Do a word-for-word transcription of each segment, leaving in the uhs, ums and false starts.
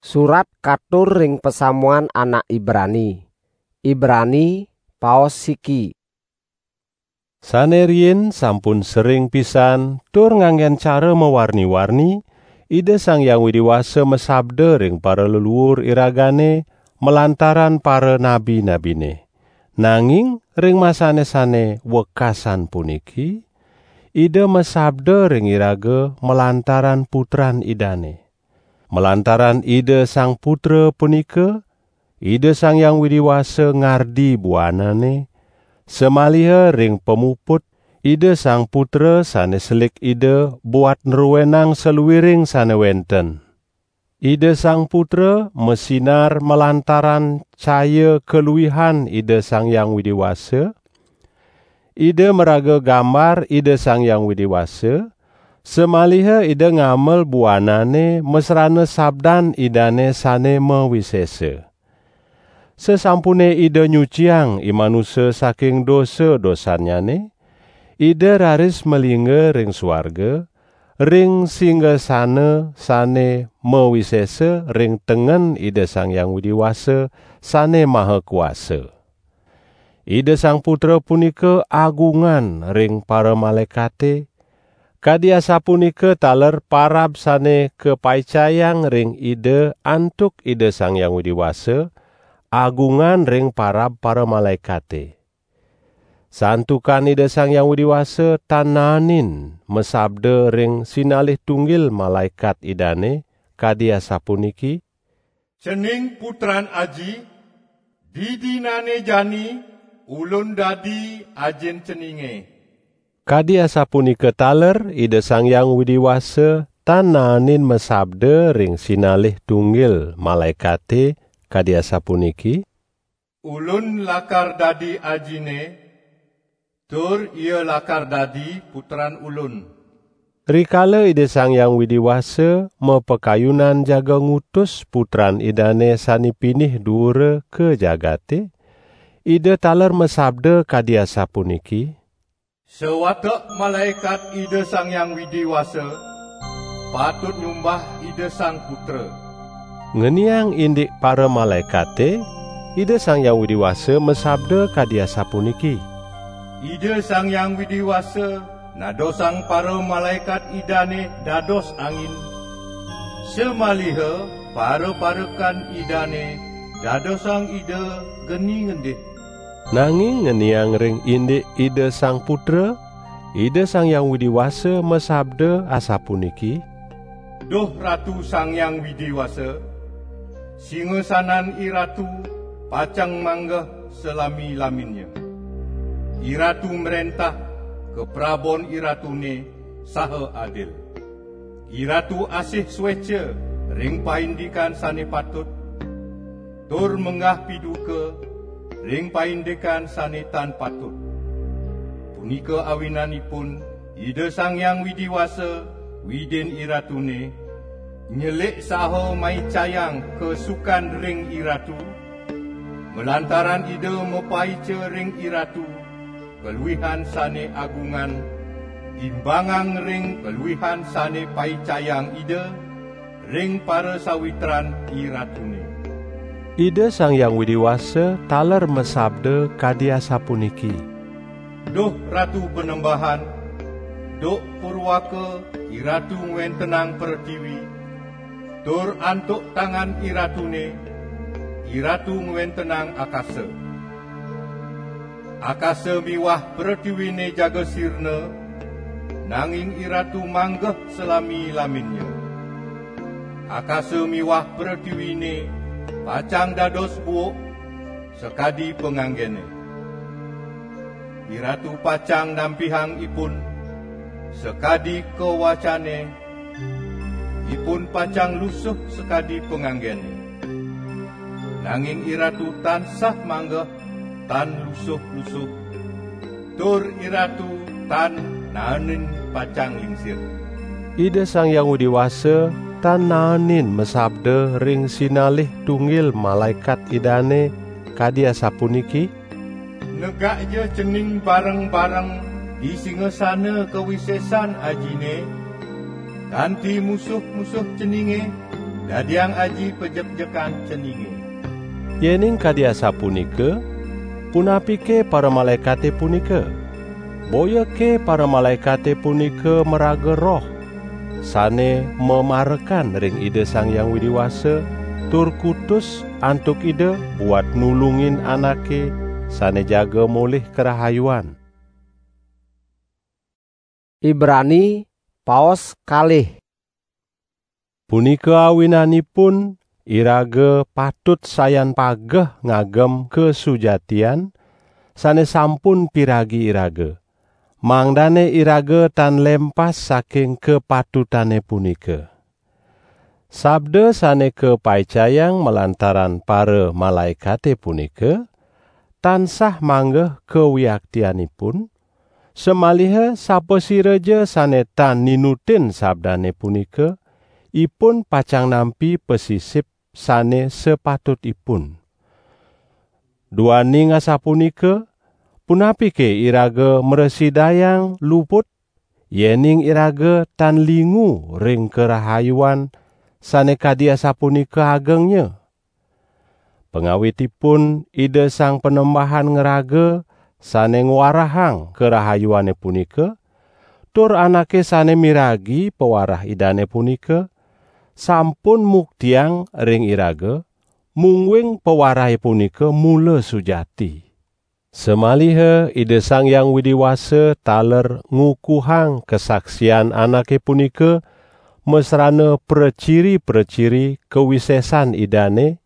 Surat katur ring pasamuan anak Ibrani. Ibrani, paos siki. Sane riin sampun sering pisan tur nganggen cara mawarni-warni, Ida Sang Hyang Widi Wasa masabda ring paraleluur iragane malantaran paranabi-nabine. Nanging ring masane sane wekasan puniki, Ida masabda ring iraga malantaran Putran Idane. Malantaran Ida Sang Putra punika, Ida Sang Hyang Widi Wasa ngardi buanane, samaliha ring pamuput Ida Sang Putra sane selik Ida buat nruenang saluiring sane wenten. Ida Sang Putra masinar malantaran caya kaluihan Ida Sang Hyang Widi Wasa. Ida maraga gambar Ida Sang Hyang Widi Wasa, samaliha Ida ngamel buanane masrana sabdan Idane sane mawisesa. Sasampune Ida nyuciang i manusa saking dosa-dosannyane, Ida raris malingga ring suarga, ring singgasana sane mawisesa ring tengen Ida Sang Hyang Widi Wasa sane maha kuasa. Ida Sang Putra punika agungan ring paramalaekate, kadi asapunika taler parab sane kapaicayang ring Ida antuk Ida Sang Hyang Widi Wasa, agungan ring parab paramalaekate. Santukan Ida Sang Hyang Widi Wasa tan naenin masabda ring sinalih tunggil malaekat Idane, kadi asapuniki: "Cening Putran Aji, didinane jani Ulun dadi Ajin ceninge." Kadi asapunika taler Ida Sang Hyang Widi Wasa tan naenin masabda ring sinalih tunggil malaekate, kadi asapuniki: "Ulun lakar dadi Ajine, tur Ia lakar dadi Putran Ulun." Rikala Ida Sang Hyang Widi Wasa mapakayunan jaga ngutus Putran Idane sane pinih duura ka jagate, Ida taler masabda kadi asapuniki: "Sawatek malaekat Ida Sang Hyang Widi Wasa patut nyumbah Ida Sang Putra." Ngeniang indik paramalaekate, Ida Sang Hyang Widi Wasa masabda kadi asapuniki: "Ida Sang Hyang Widi Wasa nadosang paramalaekat Idane dados angin, samaliha paraparekan Idane dadosang Ida geni ngendih." Nanging ngeniang ring indik Ida Sang Putra, Ida Sang Hyang Widi Wasa masabda asapuniki: "Duh Ratu Sang Hyang Widi Wasa, singasanan IRatu pacang manggeh salami-laminnya. IRatu mrentah, kaprabon IRatune saha adil. IRatu asih sueca ring paindikan sane patut, tur menggah piduka ring paindikan sane tan patut. Punika awinanipun Ida Sang Hyang Widi Wasa, Widin IRatune, nyelik saha maicayang kasukan ring IRatu, malantaran Ida mapaica ring IRatu kaluihan sane agungan, imbangang ring kaluihan sane paicayang Ida ring parasawitran IRatune." Ida Sang Hyang Widi Wasa taler masabda kadi asapuniki: "Duh Ratu Panembahan, duk purwaka IRatu ngwentenang pretiwi, tur antuk tangan IRatune, IRatu ngwentenang akasa. Akasa miwah pretiwine jaga sirna, nanging IRatu manggeh salami-laminnya. Akasa miwah pretiwine pacang dados buuk sakadi panganggene. IRatu pacang nampihang ipun sakadi kawacane, ipun pacang lusuh sakadi panganggene. Nanging IRatu tansah manggeh tan lusuh-lusuh, tur IRatu tan naenin pacang lingsir." Ida Sang Hyang Widi Wasa tan naenin masabda ring sinalih tunggil malaekat Idane kadi asapuniki: "Negakja cening bareng-bareng di singasana kawisesan Ajine, kanti musuh-musuh ceninge, Dadiang aji pajekjekan ceninge. Yening kadi asapunika, punapike paramalaekate punika? Boyake paramalaekate punika maraga roh, sane mamarekan ring Ida Sang Hyang Widi Wasa, tur kutus antuk Ida buat nulungin anake sane jaga molih karahayuan. Ibrani, paos kalih. Punika awinanipun, iraga patut sayan pageh ngagem kasujatian sane sampun piragi iraga, mangdane iraga tan lempas saking kapatutane punika. Sabda sane kapaicayang malantaran paramalaekate punika tansah manggeh kawiaktianipun, samaliha sapasiraja sane tan ninutin sabdane punika, ipun pacang nampi pasisip sane sapatutipun. Duaning asapunika, punapike iraga mrasidayang luput, yening iraga tan lingu ring karahayuan sane kadi asapunika agengnya? Pangawitipun Ida Sang Panembahan ngraga sane ngwarahang karahayuane punika, tur anake sane miragi pawarah Idane punika, sampun muktiang ring iraga, mungguing pawarahe punika mula sujati. Samaliha Ida Sang Hyang Widi Wasa taler ngukuhang kasaksian anake punika masrana praciri-praciri kawisesan Idane,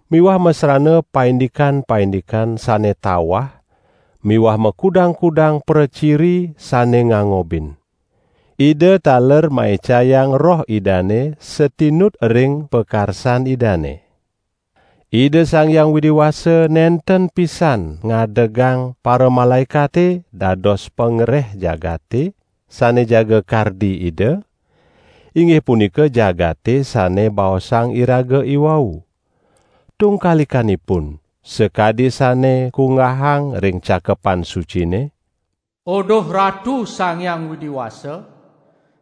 miwah masrana paindikan-paindikan sane tawah, miwah makudang-kudang praciri sane ngangobin. Ida taler maicayang Roh Idane satinut ring pakarsan Idane. Ida Sang Hyang Widi Wasa nenten pisan ngadegang paramalaekate dados pangreh jagate sane jaga kardi Ida, inggih punika jagate sane baosang iraga iwau. Tungkalikanipun, sakadi sane kunggahang ring Cakepan Sucine, "Oduh Ratu Sang Hyang Widi Wasa,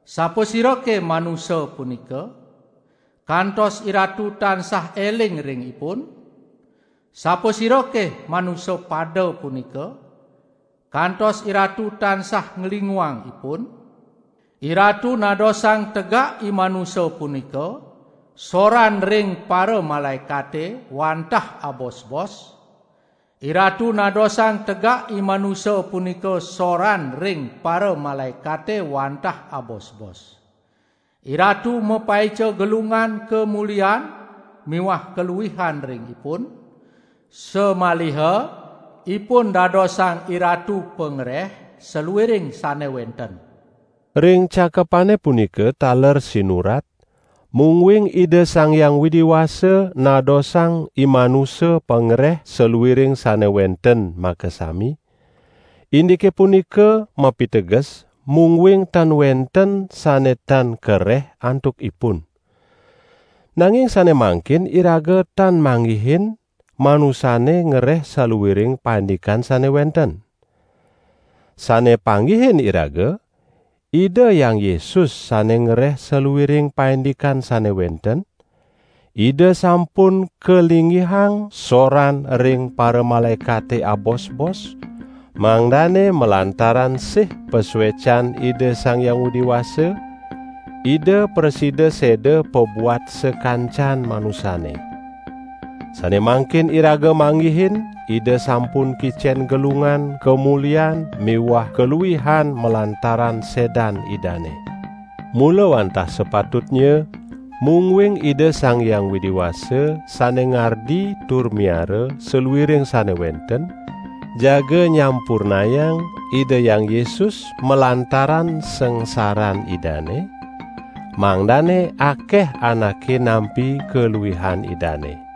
sapasirake manusa punika, kantos iratu tansah eling ring ipun? Sapasirake manusa pada punika, kantos iratu tansah nglinguang ipun? Iratu nadosang tegak i manusa punika, soran ring paramalaekate wantah abos-bos. Iratu nadosang tegak i manusa punika soran ring paramalaekate wantah abos-bos. Iratu mapaica gelungan kamulian miwah kaluihan ring ipun, samaliha ipun dadosang Iratu pangreh saluiring sane wenten." Ring cakepane punika taler sinurat, mungguing Ida Sang Hyang Widi Wasa nadosang i manusa pangreh saluiring sane wenten makasami. Indike punika mapiteges, mungguing tan wenten sane tan kareh antuk ipun. Nanging sane mangkin iraga tan manggihin manusane ngreh saluiring paindikan sane wenten. Sane panggihin iraga, Ida Hyang Yesus sane ngreh saluiring paindikan sane wenten, Ida sampun kalinggihang soran ring paramalaekate abos-bos, mangdane malantaran sih pasuecan Ida Sang Hyang Widi Wasa, Ida prasida seda pabuat sakancan manusane. Sane mangkin iraga manggihin, Ida sampun kicen gelungan, kamulian, miwah kaluihan malantaran sedan Idane. Mula wantah sapatutnya, mungguing Ida Sang Hyang Widi Wasa sane ngardi tur miara saluiring sane wenten, jaga nyampurnayang Ida Hyang Yesus malantaran sangsaran Idane, mangdane akeh anake nampi kaluihan Idane.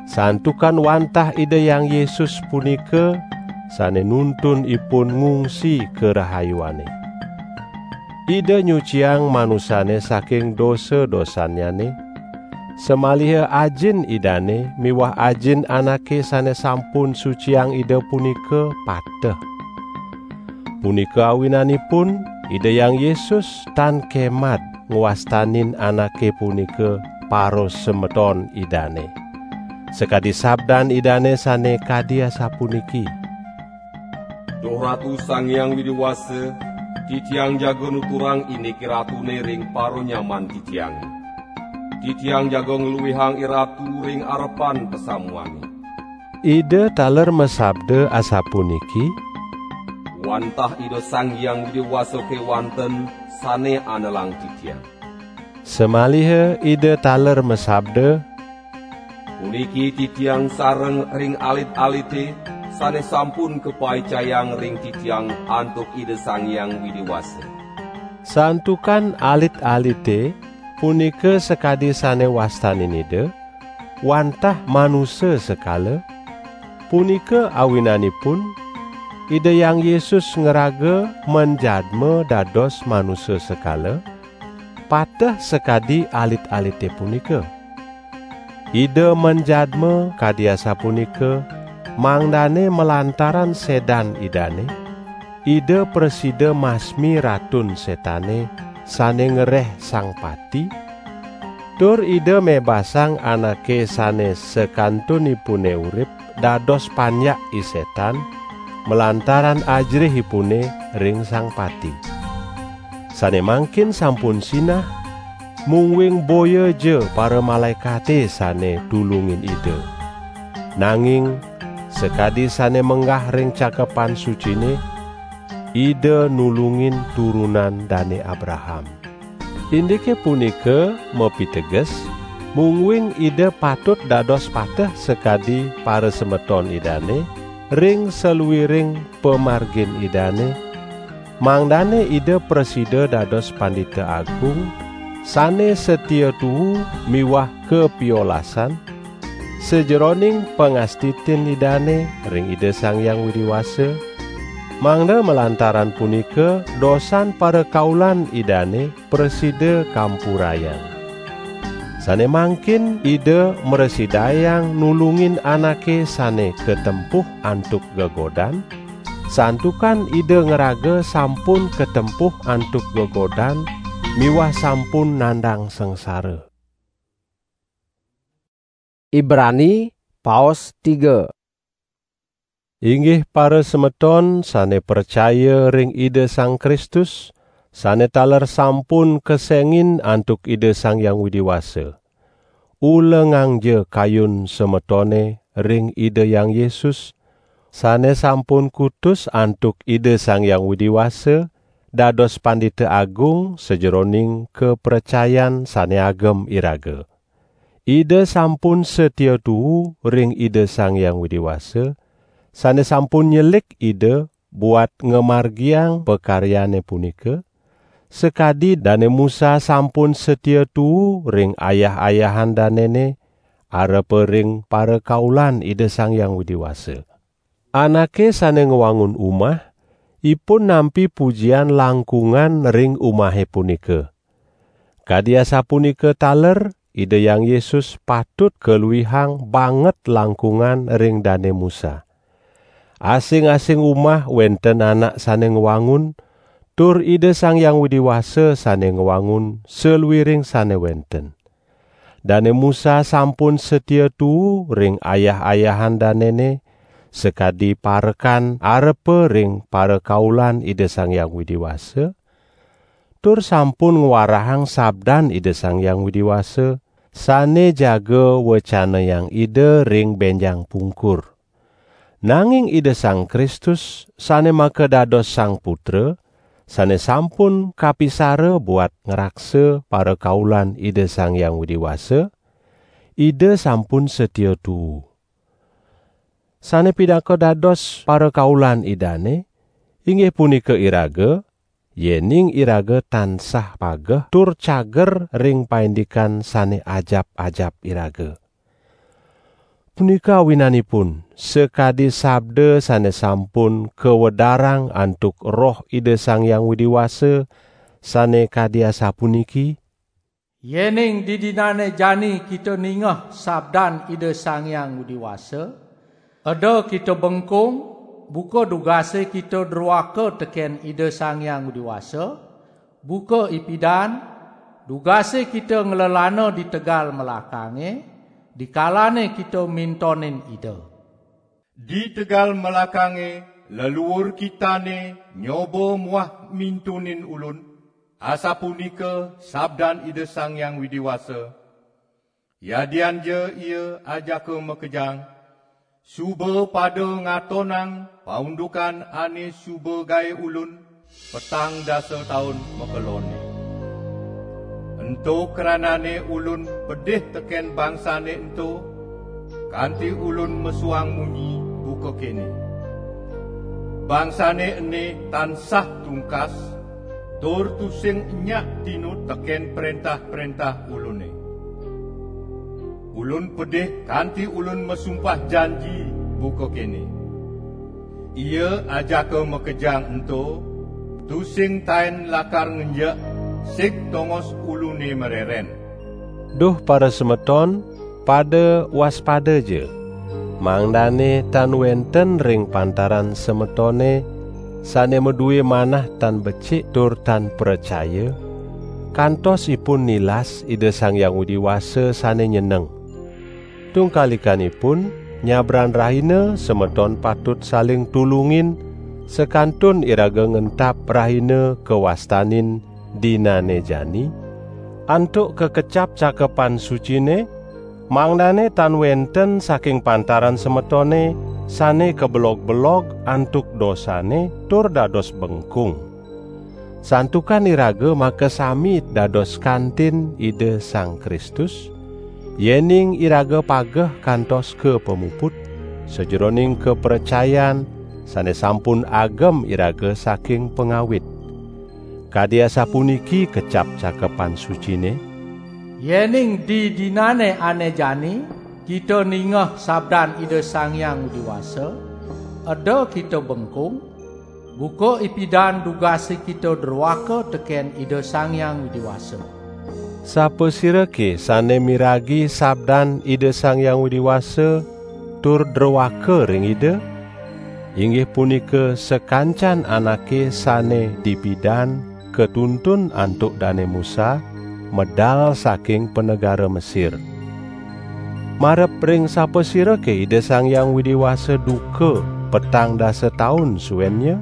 Santukan wantah Ida Hyang Yesus punika sane nuntun ipun ngungsi karahayuane. Ida nyuciang manusane saking dosa-dosannyane, samaliha Ajin Idane miwah Ajin anake sane sampun suciang Ida punika pateh. Punika awinanipun Ida Hyang Yesus tan kemad ngwastanin anake punika parasemeton Idane. Sakadi sabdan Idane sane kadi asapuniki: "Duh Ratu Sang Hyang Widi Wasa, titiang jaga nuturang indik iratune ring paranyaman titiange. Titiang jaga ngluihang iratu ring arepan pasamuane." Ida taler masabda asapuniki: "Wantah Ida Sang Hyang Widi Wasa kewanten sane anelang titiang." Samaliha Ida taler masabda: "Puniki titiang sareng ring alit-alite sane sampun kapaicayang ring titiang antuk Ida Sang Hyang Widi Wasa." Santukan alit-alite punika sakadi sane wastanin Ida, wantah manusa sekala, punika awinanipun Ida Hyang Yesus ngraga manjadma dados manusa sekala, pateh sakadi alit-alite punika. Ida manjadma kadi asapunika, mangdane malantaran sedan Idane, Ida prasida masmi Ratun Setane sane ngereh Sang Pati, tur Ida mebasang anake sane sakantunipune urip dados panjak I Setan, malantaran ajerihipune ring Sang Pati. Sane mangkin sampun sinah, mungguing boyaja paramalaekate sane tulungin Ida. Nanging sakadi sane menggah ring Cakepan Sucine, Ida nulungin turunan Dane Abraham. Indike punika mapiteges, mungguing Ida patut dados pateh sakadi parasemeton Idane ring saluiring pamargin Idane, mangdane Ida prasida dados Pandita Agung sane satia tuu miwah kapiolasan, sajeroning pangastitin Idane ring Ida Sang Hyang Widi Wasa, mangda malantaran punika dosan parakaulan Idane prasida kampurayang. Sane mangkin Ida mrasidayang nulungin anake sane katempuh antuk gegodan, santukan Ida ngraga sampun katempuh antuk gegodan miwah sampun nandang sangsara. Ibrani, paos tiga. Inggih parasemeton sane pracaya ring Ida Sang Kristus, sane taler sampun kesengin antuk Ida Sang Hyang Widi Wasa. Ulengangja kayun semetone ring Ida Hyang Yesus, sane sampun kutus antuk Ida Sang Hyang Widi Wasa dados Pandita Agung sajeroning kapracayan sane agem iraga. Ida sampun satia tuu ring Ida Sang Hyang Widi Wasa, sane sampun nyelik Ida buat ngamargiang pakaryane punika, sakadi Dane Musa sampun satia tuu ring ayah-ayahan danene, arepa ring parakaulan Ida Sang Hyang Widi Wasa. Anake sane ngwangun umah, ipun nampi pujian langkungan ring umahe punika. Kadi asapunika taler, Ida Hyang Yesus patut kaluihang banget langkungan ring Dane Musa. Asing-asing umah wenten anak sane ngwangun, tur Ida Sang Hyang Widi Wasa sane ngwangun saluiring sane wenten. Dane Musa sampun satia tuu ring ayah-ayahan danene, sakadi parekan arepa ring parakaulan Ida Sang Hyang Widi Wasa, tur sampun ngwarahang sabdan Ida Sang Hyang Widi Wasa, sane jaga wecanayang Ida ring benjang pungkur. Nanging Ida Sang Kristus, sane makadados Sang Putra, sane sampun kapisara buat ngraksa parakaulan Ida Sang Hyang Widi Wasa, Ida sampun satia tuu. Sane pinaka dados parakaulan Idane, inggih punika iraga, yening iraga tansah pageh tur cager ring paindikan sane ajap-ajap iraga. Punika awinanipun, sakadi sabda sane sampun kawedarang antuk Roh Ida Sang Hyang Widi Wasa, sane kadi asapuniki: "Yening didinane jani kita ningeh sabdan Ida Sang Hyang Widi Wasa, eda kita bengkung, buka dugase kita druaka teken Ida Sang Hyang Widi Wasa, buka ipidan, Dugase kita nglelana di tegal melakange, dikalane kita mintonin Ida. Di tegal melakange, leluur kitane nyoba muah mintunin ulun, asapunika sabdan Ida Sang Hyang Widi Wasa. Yadian ja ia ajaka makejang, suba pada ngatonang paundukan ane suba gae ulun petang dasa taun makelonne. Ento kranane ulun pedih teken bangsane ento, kanti ulun mesuang munyi buka kene: Bangsane ene tan sah tungkas, tur tusing nyak tinut teken prentah-prentah ulune. Ulun pedih kanti ulun masumpah janji buka kene: Ia ajaka makejang ento, tusing taen lakar ngenjek sig tongos ulune mareren. Duh parasemeton, pada waspada ja, mangdane tan wenten ring pantaran semetone sane madue manah tan becik tur tan pracaya, kantos ipun nilas Ida Sang Hyang Widi Wasa sane nyeneng. Tungkalikanipun, nyabran rahina semeton patut saling tulungin, sakantun iraga ngentap rahina kawastanin dinane jani, antuk kakecap Cakepan Sucine, mangdane tan wenten saking pantaran semetone sane kabelog-belog antuk dosane tur dados bengkung. Santukan iraga makasami dados kantin Ida Sang Kristus, yening iraga pageh kantos ka pamuput, sajeroning kapracayan sane sampun agem iraga saking pangawit. Kadi asapuniki kecap Cakepan Sucine: Yening didinane ane jani kita ningeh sabdan Ida Sang Hyang Widi Wasa, eda kita bengkung, buka ipidan dugase kita druaka teken Ida Sang Hyang Widi Wasa. Sapasirake sane miragi sabdan Ida Sang Hyang Widi Wasa tur druaka ring Ida? Inggih punika sakancan anake sane dipidan katuntun antuk Dane Musa, medal saking panegara Mesir. Marep ring sapasirake Ida Sang Hyang Widi Wasa duka petang dasa taun suennya?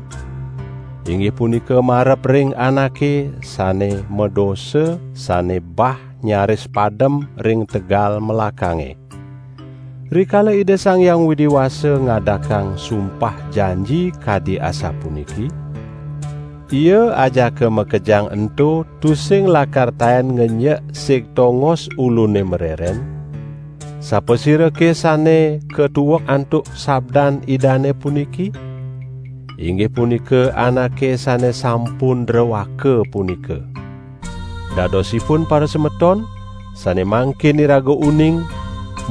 Inggih punika marep ring anake sane madosa, sane bah nyaris padem ring tegal melakange. Rikala Ida Sang Hyang Widi Wasa ngadakang sumpah janji kadi asapuniki, Ia ajaka makejang ento tusing lakar taen ngenjek sig tongos ulune mareren. Sapasirake sane katuek antuk sabdan Idane puniki? Inggih punika anake sane sampun druaka punika. Dadosipun parasemeton, sane mangkin iraga uning,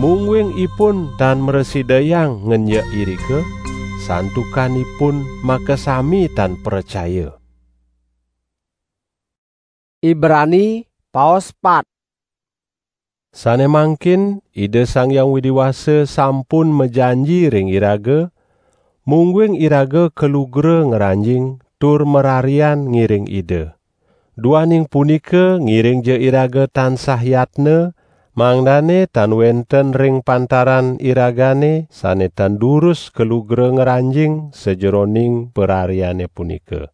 mungguing ipun tan mrasidayang ngenjek irika, santukan ipun makasami tan pracaya. Ibrani, paos pat. Sane mangkin Ida Sang Hyang Widi Wasa sampun majanji ring iraga, mungguing iraga kalugra ngranjing tur mararian ngiring Ida. Duaning punika, ngiringja iraga tansah yatna, mangdane tan wenten ring pantaran iragane sane tan durus kalugra ngranjing sajeroning parariane punika.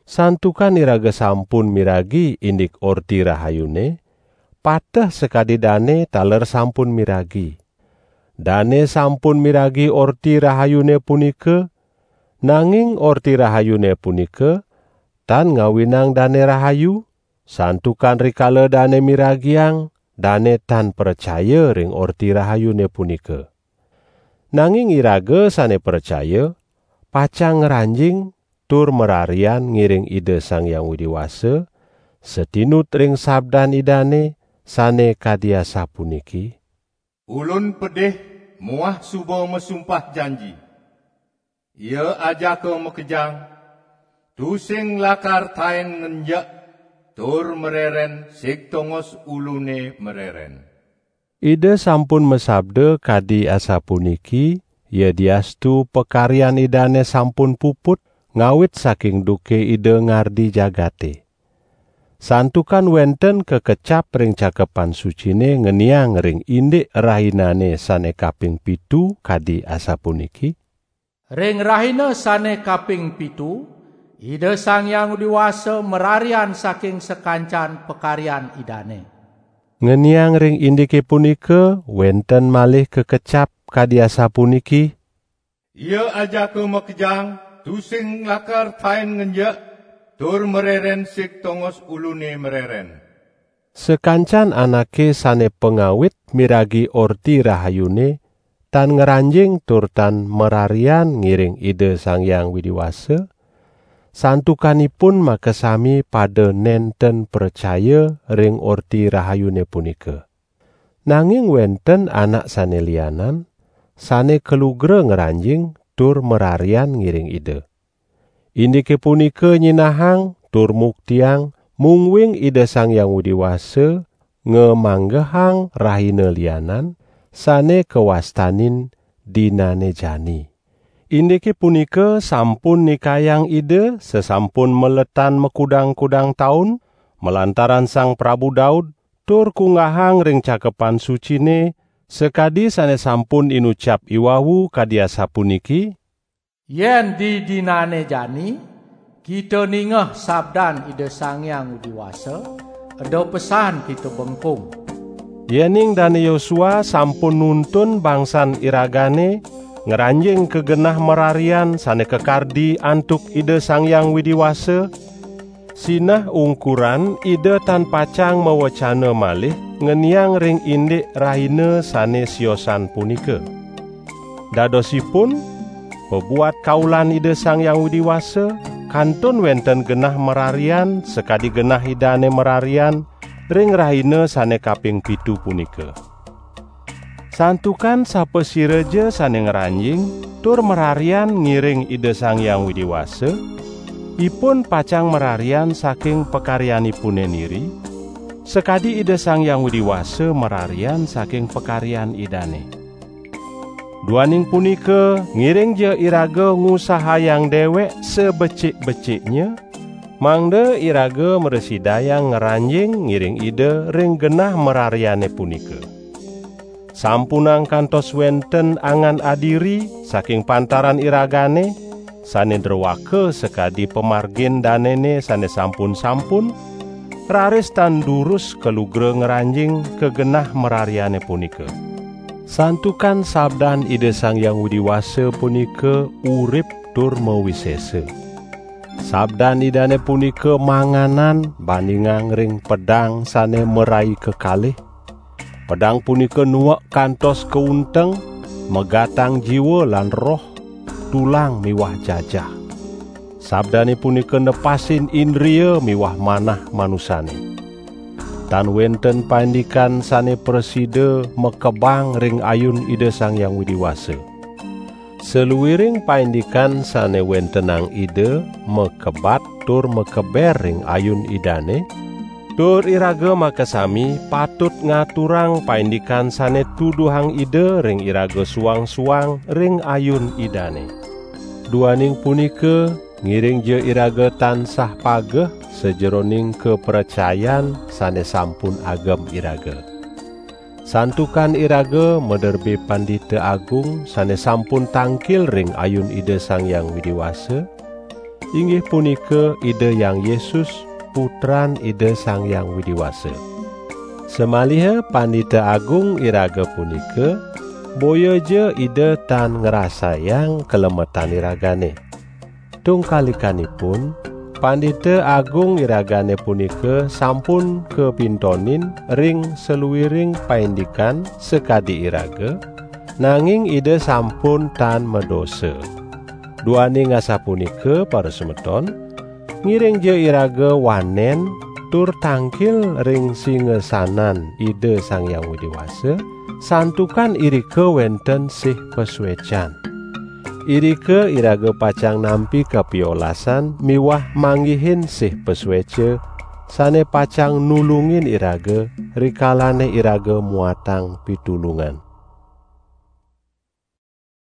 Santukan iraga sampun miragi indik Orti Rahayune, pateh sakadi dane taler sampun miragi. Dane sampun miragi Orti Rahayune punika, nanging Orti Rahayune punika tan ngawinang dane rahayu, santukan rikala dane miragiang, dane tan pracaya ring Orti Rahayune punika. Nanging iraga sane pracaya, pacang ngranjing tur mararian ngiring Ida Sang Hyang Widi Wasa, satinut ring sabdan Idane sane kadi asapuniki: Ulun pedih muah suba masumpah janji. Ia ajaka makejang, tusing lakar taen ngenjek tur mareren sig tongos ulune mareren. Ida sampun masabda kadi asapuniki, yadiastu pakaryan Idane sampun puput, ngawit saking duke Ida ngardi jagate. Santukan wenten kekecap ring Cakepan Sucine ngeniang ring indik rahinane sane kaping pitu kadi asapuniki: Ring rahina sane kaping pitu, Ida Sang Hyang Widi Wasa mararian saking sakancan pakaryan Idane. Ngeniang ring indike punika wenten malih kekecap kadi asapuniki: Ia ajaka makejang, tusing lakar tain ngenjek, tur mareren sig tongos ulune mareren. Sakancan anake sane pangawit miragi Orti Rahayune tan ngranjing tur tan mararian ngiring Ida Sang Hyang Widi Wasa, santukanipun makasami pada nenten pracaya ring Orti Rahayune punika. Nanging wenten anak sane lianan, sane kalugra ngranjing tur mararian ngiring Ida. Indike punika nyinahang tur muktiang mungguing Ida Sang Hyang Widi Wasa ngamanggehang rahina lianan sane kawastanin Dinane Jani. Indike punika sampun nikayang Ida sasampun maletan makudang-kudang taun, malantaran Sang Prabu Daud, tur kunggahang ring Cakepan Sucine, sakadi sane sampun inucap iwawu kadi asapuniki: Yen di dinane jani, kita ningeh sabdan Ida Sang Hyang Widi Wasa, eda pesan kita bengkung. Yening Dane Yosua sampun nuntun bangsan iragane ngranjing ka genah mararian sane kakardi antuk Ida Sang Hyang Widi Wasa, sinah ungkuran Ida tan pacang mawecana malih ngeniang ring indik rahina sane siosan punika. Dadosipun, pabuat kaulan Ida Sang Hyang Widi Wasa, kantun wenten genah mararian sakadi genah Idane mararian ring rahina sane kaping pitu punika. Santukan sapasiraja sane ngranjing tur mararian ngiring Ida Sang Hyang Widi Wasa, ipun pacang mararian saking pakaryanipune niri, sakadi Ida Sang Hyang Widi Wasa mararian saking pakaryan Idane. Duaning punika, ngiringja iraga ngusahayang dewek sabecik-beciknya, mangda iraga mrasidayang ngranjing ngiring Ida ring genah marariane punika. Sampunang kantos wenten angan adiri saking pantaran iragane, sane druaka sakadi pamargin danene sane sampun-sampun, raris tan durus kalugra ngranjing ka genah marariane punika. Santukan sabdan Ida Sang Hyang Widi Wasa punika urip tur mawisesa. Sabdan Idane punika manganan bandingang ring pedang sane marai kekalih. Pedang punika nuek kantos kaunteng, megatang jiwa lan roh, tulang miwah jajah. Sabdane punika nepasin indria miwah manah manusane. Tan wenten paindikan sane prasida makebang ring ayun Ida Sang Hyang Widi Wasa. Saluiring paindikan sane wentenang Ida makebat tur makeber ring ayun Idane, tur iraga makasami patut ngaturang paindikan sane tuduhang Ida ring iraga suang-suang ring ayun Idane. Duaning punika, ngiringja iraga tansah pageh sajeroning kapracayan sane sampun agem iraga. Santukan iraga maderbe Pandita Agung sane sampun tangkil ring ayun Ida Sang Hyang Widi Wasa, inggih punika Ida Hyang Yesus, Putran Ida Sang Hyang Widi Wasa. Samaliha Pandita Agung iraga punika, boyaja Ida tan ngrasayang kalemetan iragane. Tungkalikanipun, Pandita Agung iragane punika sampun kapintonin ring saluiring paindikan sakadi iraga, nanging Ida sampun tan madosa. Duaning asapunika, parasemeton, ngiringja iraga wanen tur tangkil ring singasanan Ida Sang Hyang Widi Wasa, santukan irika wenten sih pasuecan. Irika iraga pacang nampi kapiolasan miwah manggihin sih pasueca sane pacang nulungin iraga rikalane iraga muatang pitulungan.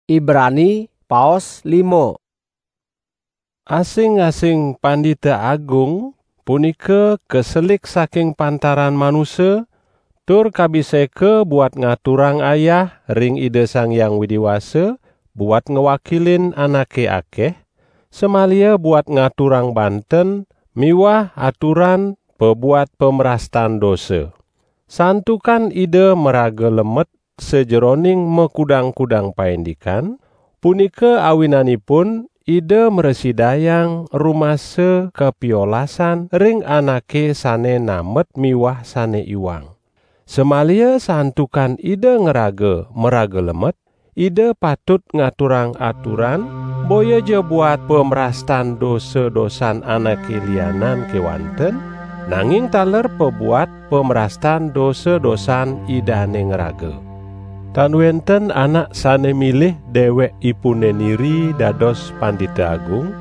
Ibrani paos lima. Asing-asing Pandita Agung punika kaselik saking pantaran manusa, tur kabiseka buat ngaturang ayah ring Ida Sang Hyang Widi Wasa, buat ngwakilin anake akeh, samaliha buat ngaturang banten miwah aturan pabuat pamrastan dosa. Santukan Ida maraga lemet sajeroning makudang-kudang paindikan, punika awinanipun Ida mrasidayang rumasa kapiolasan ring anake sane namet miwah sane iwang. Samaliha santukan Ida ngraga maraga lemet, Ida patut ngaturang aturan, boya ja buat pamrastan dosa-dosan anake lianan kewanten, nanging taler pabuat pamrastan dosa-dosan Idane ngraga. Tan wenten anak sane milih dewekipune niri dados Pandita Agung,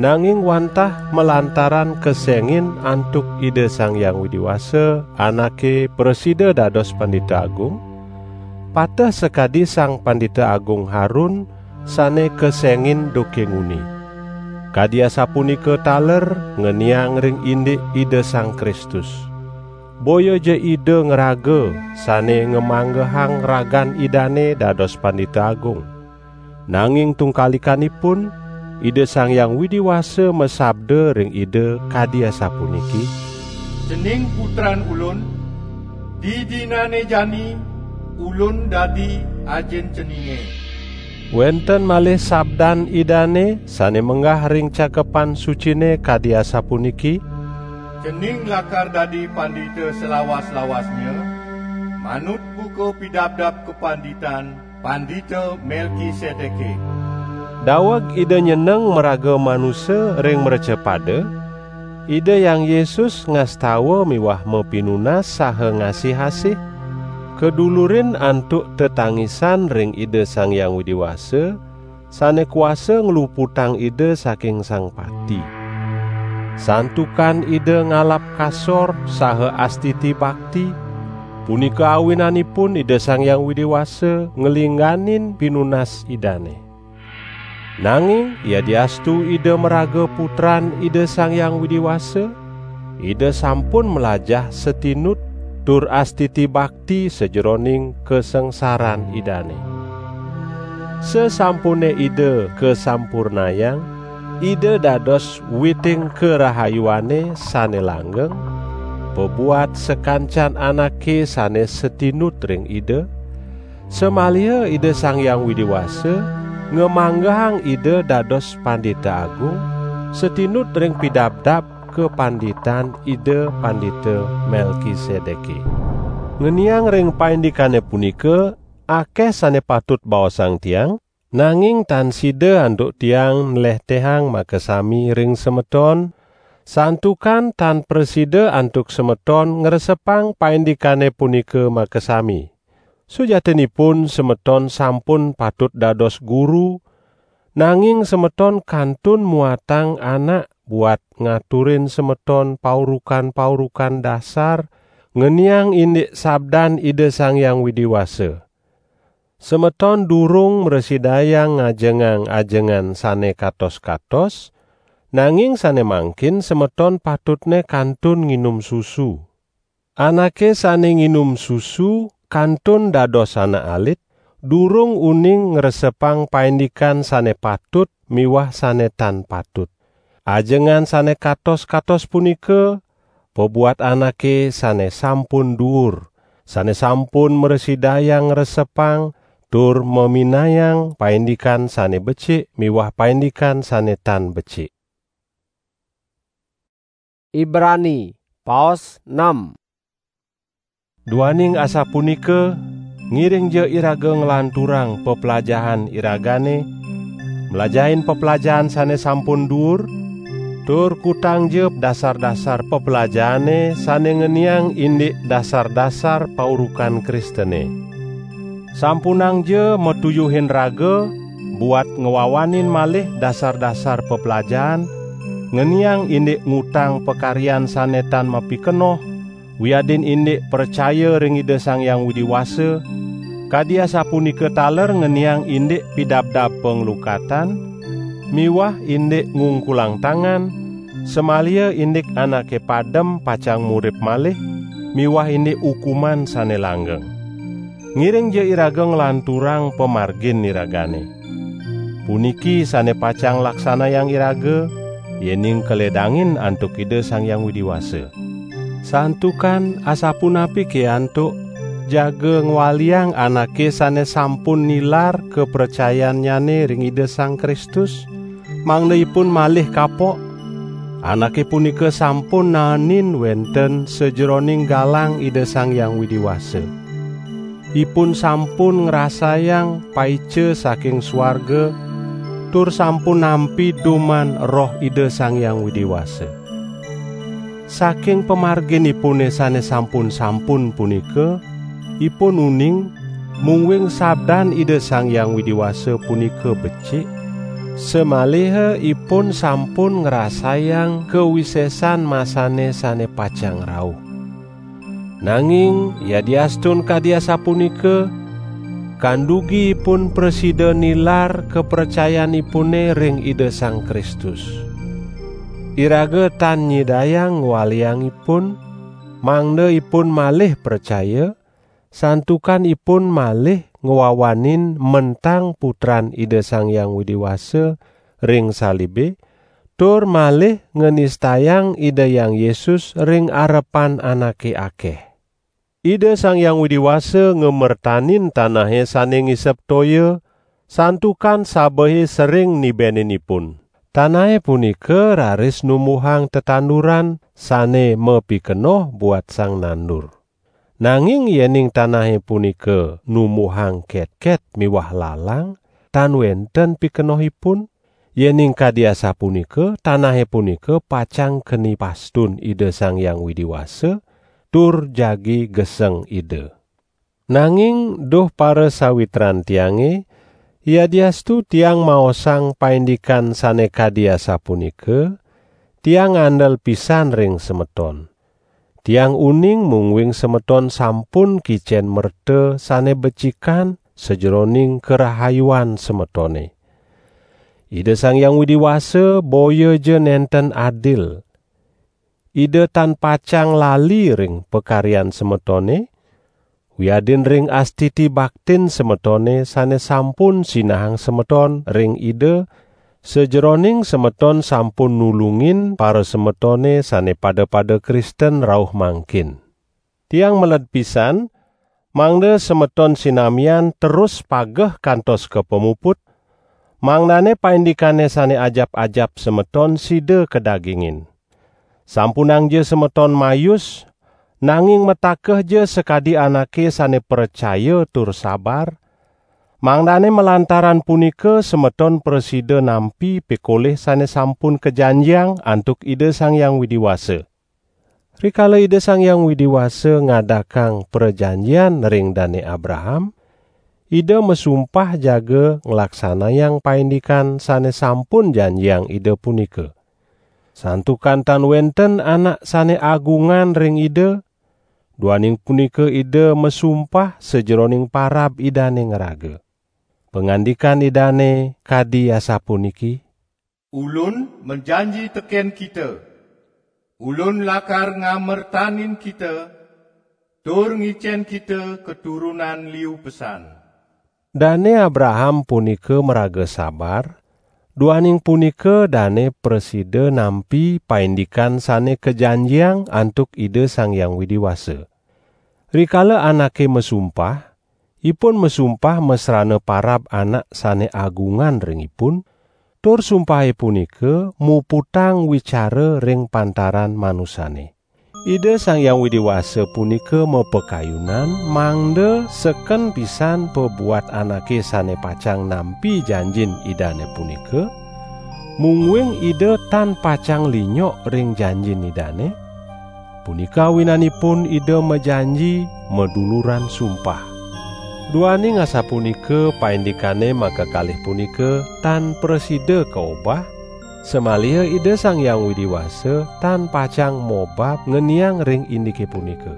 nanging wantah malantaran kesengin antuk Ida Sang Hyang Widi Wasa, anake prasida dados Pandita Agung, pateh sakadi Sang Pandita Agung Harun sane kesengin duke nguni. Kadi asapunika taler ngeniang ring indik Ida Sang Kristus. Boya ja Ida ngraga sane ngamanggehang ragan Idane dados Pandita Agung. Nanging tungkalikanipun, Ida Sang Hyang Widi Wasa masabda ring Ida kadi asapuniki, "Cening Putran Ulun, didinane jani Ulun dadi Ajin ceninge." Wenten malih sabdan Idane sane menggah ring Cakepan Sucine kadi asapuniki, "Cening lakar dadi pandita salawas-lawasnya, manut buka pidabdab kapanditan Pandita Melkisedeke." Daweg Ida nyeneng maraga manusa ring mrecapada, Ida Hyang Yesus ngastawa miwah mapinunas saha ngasih-asih, kadulurin antuk tetangisan ring Ida Sang Hyang Widi Wasa, sane kuasa ngluputang Ida saking Sang Pati. Santukan Ida ngalap kasor saha astiti bakti, punika awinanipun Ida Sang Hyang Widi Wasa nglingganin pinunas Idane. Nanging yadiastu Ida maraga Putran Ida Sang Hyang Widi Wasa, Ida sampun mlajah satinut tur astiti bakti sajeroning kasangsaran Idane. Sasampune Ida kasampurnayang, Ida dados witing karahayuane sane langgeng, pabuat sakancan anake sane satinut ring Ida, samaliha Ida Sang Hyang Widi Wasa ngamanggehang Ida dados Pandita Agung, satinut ring pidabdab kapanditan Ida Pandita Melkisedeke. Ngeniang ring paindikane punika, akeh sane patut baosang tiang, nanging tan sida antuk tiang nlehtehang makasami ring semeton, santukan tan prasida antuk semeton ngresepang paindikane punika makasami. Sujatinipun semeton sampun patut dados guru, nanging semeton kantun muatang anak buat ngaturin semeton paurukan-paurukan dasar, ngeniang indik sabdan Ida Sang Hyang Widi Wasa. Semeton durung mrasidayang ngajengang ajengan sane katos-katos, nanging sane mangkin semeton patutne kantun nginum susu. Anake sane nginum susu kantun dados anak alit, durung uning ngresepang paindikan sane patut miwah sane tan patut. Ajengan sane katos-katos punika pabuat anake sane sampun duur, sane sampun mrasidayang ngresepang tur maminayang paindikan sane becik miwah paindikan sane tan becik. Ibrani, paos enam. Duaning asapunika, ngiringja iraga nglanturang peplajahan iragane, mlajahin peplajahan sane sampun duur, tur kutangja dasar-dasar peplajahane sane ngeniang indik dasar-dasar paurukan Kristene. Sampunangja matuyuhin raga buat ngwawanin malih dasar-dasar peplajahan, ngeniang indik ngutang pakaryan sane tan mapikenoh, wiadin indik pracaya ring Ida Sang Hyang Widi Wasa, kadi asapunika taler ngeniang indik pidabdab panglukatan, miwah indik ngungkulang tangan, samaliha indik anake padem pacang murip malih, miwah indik ukuman sane langgeng. Ngiringja iraga nglanturang pamargin iragane. Puniki sane pacang laksanayang iraga, yening kaledangin antuk Ida Sang Hyang Widi Wasa. Santukan asapunapi ke antuk jaga ngwaliang anake sane sampun nilar kapracayannyane ring Ida Sang Kristus, mangda ipun malih kapok? Anake punika sampun naenin wenten sajeroning galang Ida Sang Hyang Widi Wasa. Ipun sampun ngrasayang paica saking suarga, tur sampun nampi duman Roh Ida Sang Hyang Widi Wasa. Saking pamarginipune sane sampun-sampun punika, ipun uning, mungguing sabdan Ida Sang Hyang Widi Wasa punika becik, samaliha ipun sampun ngrasayang kawisesan masane sane pacang rauh. Nanging yadiastun kadi asapunika, kandugi ipun prasida nilar kapracayanipune ring Ida Sang Kristus. Iraga tan nyidayang ngwaliang ipun, mangda ipun malih pracaya, santukan ipun malih ngwawanin mentang Putran Ida Sang Hyang Widi Wasa ring salibe, tur malih nganistayang Ida Hyang Yesus ring arepan anake akeh. Ida Sang Hyang Widi Wasa ngamertanin tanahe sane ngisep toya, santukan sabehe sering nibenin ipun. Tanahe punika raris numbuhang tetanduran sane mapikenoh buat sang nandur. Nanging yening tanahe punika numbuhang ketket miwah lalang, tan wenten pikenohipun. Yening kadi asapunika, tanahe punika pacang keni pastun Ida Sang Hyang Widi Wasa, tur jagi geseng Ida. Nanging, duh parasawitran tiange, yadiastu tiang maosang paindikan sane kadi asapunika, tiang ngandel pisan ring semeton. Tiang uning mungguing semeton sampun kicen merta sane becikan sajeroning karahayuan semetone. Ida Sang Hyang Widi Wasa boya ja nenten adil. Ida tan pacang lali ring pakaryan semetone, wiadin ring astiti baktin semetone sane sampun sinahang semeton ring Ida, sajeroning semeton sampun nulungin parasemetone sane pada-pada Kristen rauh mangkin. Tiang meled pisan, mangda semeton sinamian terus pageh kantos ka pamuput, mangdane paindikane sane ajap-ajap semeton sida kadagingin. Sampunangja semeton mayus, nanging matakehja sakadi anake sane pracaya tur sabar, mangdane malantaran punika semeton prasida nampi pikolih sane sampun kajanjiang antuk Ida Sang Hyang Widi Wasa. Rikala Ida Sang Hyang Widi Wasa ngadakang prajanjian ring Dane Abraham, Ida masumpah jaga nglaksanayang paindikan sane sampun janjiang Ida punika. Santukan tan wenten anak sane agungan ring Ida, duaning punika Ida masumpah sajeroning parab Idane ngraga. Pangandikan Idane kadi asapuniki: "Ulun majanji teken kita, Ulun lakar ngamertanin kita, tur ngicen kita keturunan liu pesan." Dane Abraham punika maraga sabar, duaning punika dane prasida nampi paindikan sane kajanjiang antuk Ida Sang Hyang Widi Wasa. Rikala anake masumpah, ipun masumpah masrana parab anak sane agungan ring ipun, tur sumpahe punika muputang wicara ring pantaran manusane. Ida Sang Hyang Widi Wasa punika mapakayunan mangda seken pisan pabuat anake sane pacang nampi janjin Idane punika, mungguing Ida tan pacang linyok ring janjin Idane. Punika awinanipun Ida majanji maduluran sumpah. Duaning asapunika paindikane makakalih punika tan prasida kaobah, samaliha Ida Sang Hyang Widi Wasa tan pacang mobab ngeniang ring indike punika.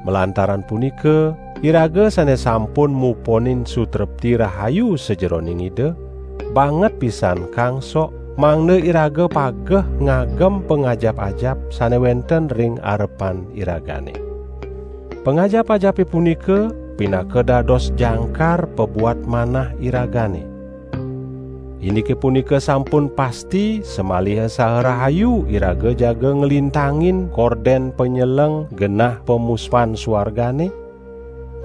Malantaran punika, iraga sane sampun muponin sutrepti rahayu sajeroning Ida, banget pisan kangsok mangda iraga pageh ngagem pangajap-ajap sane wenten ring arepan iragane. Pangajap-ajape punika pinaka dados jangkar pabuat manah iragane. Indike punika sampun pasti samaliha saha rahayu iraga jaga nglintangin korden panyeleng genah pamuspan suargane,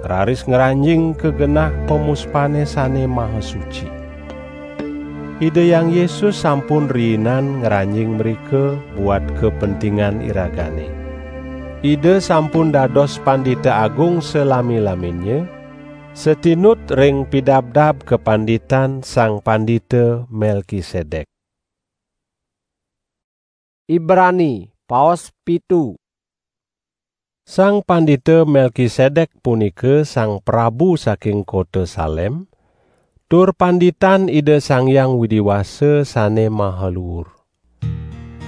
raris ngranjing ka genah pamuspane sane maha suci. Ida Hyang Yesus sampun riinan ngranjing mrika buat kapentingan iragane. Ida sampun dados Pandita Agung salami-laminnya, satinut ring pidabdab kapanditan Sang Pandita Melkisedek. Ibrani, paos pitu. Sang Pandita Melkisedek punika sang prabu saking kota Salem, tur panditan Ida Sang Hyang Widi Wasa sane maha luur.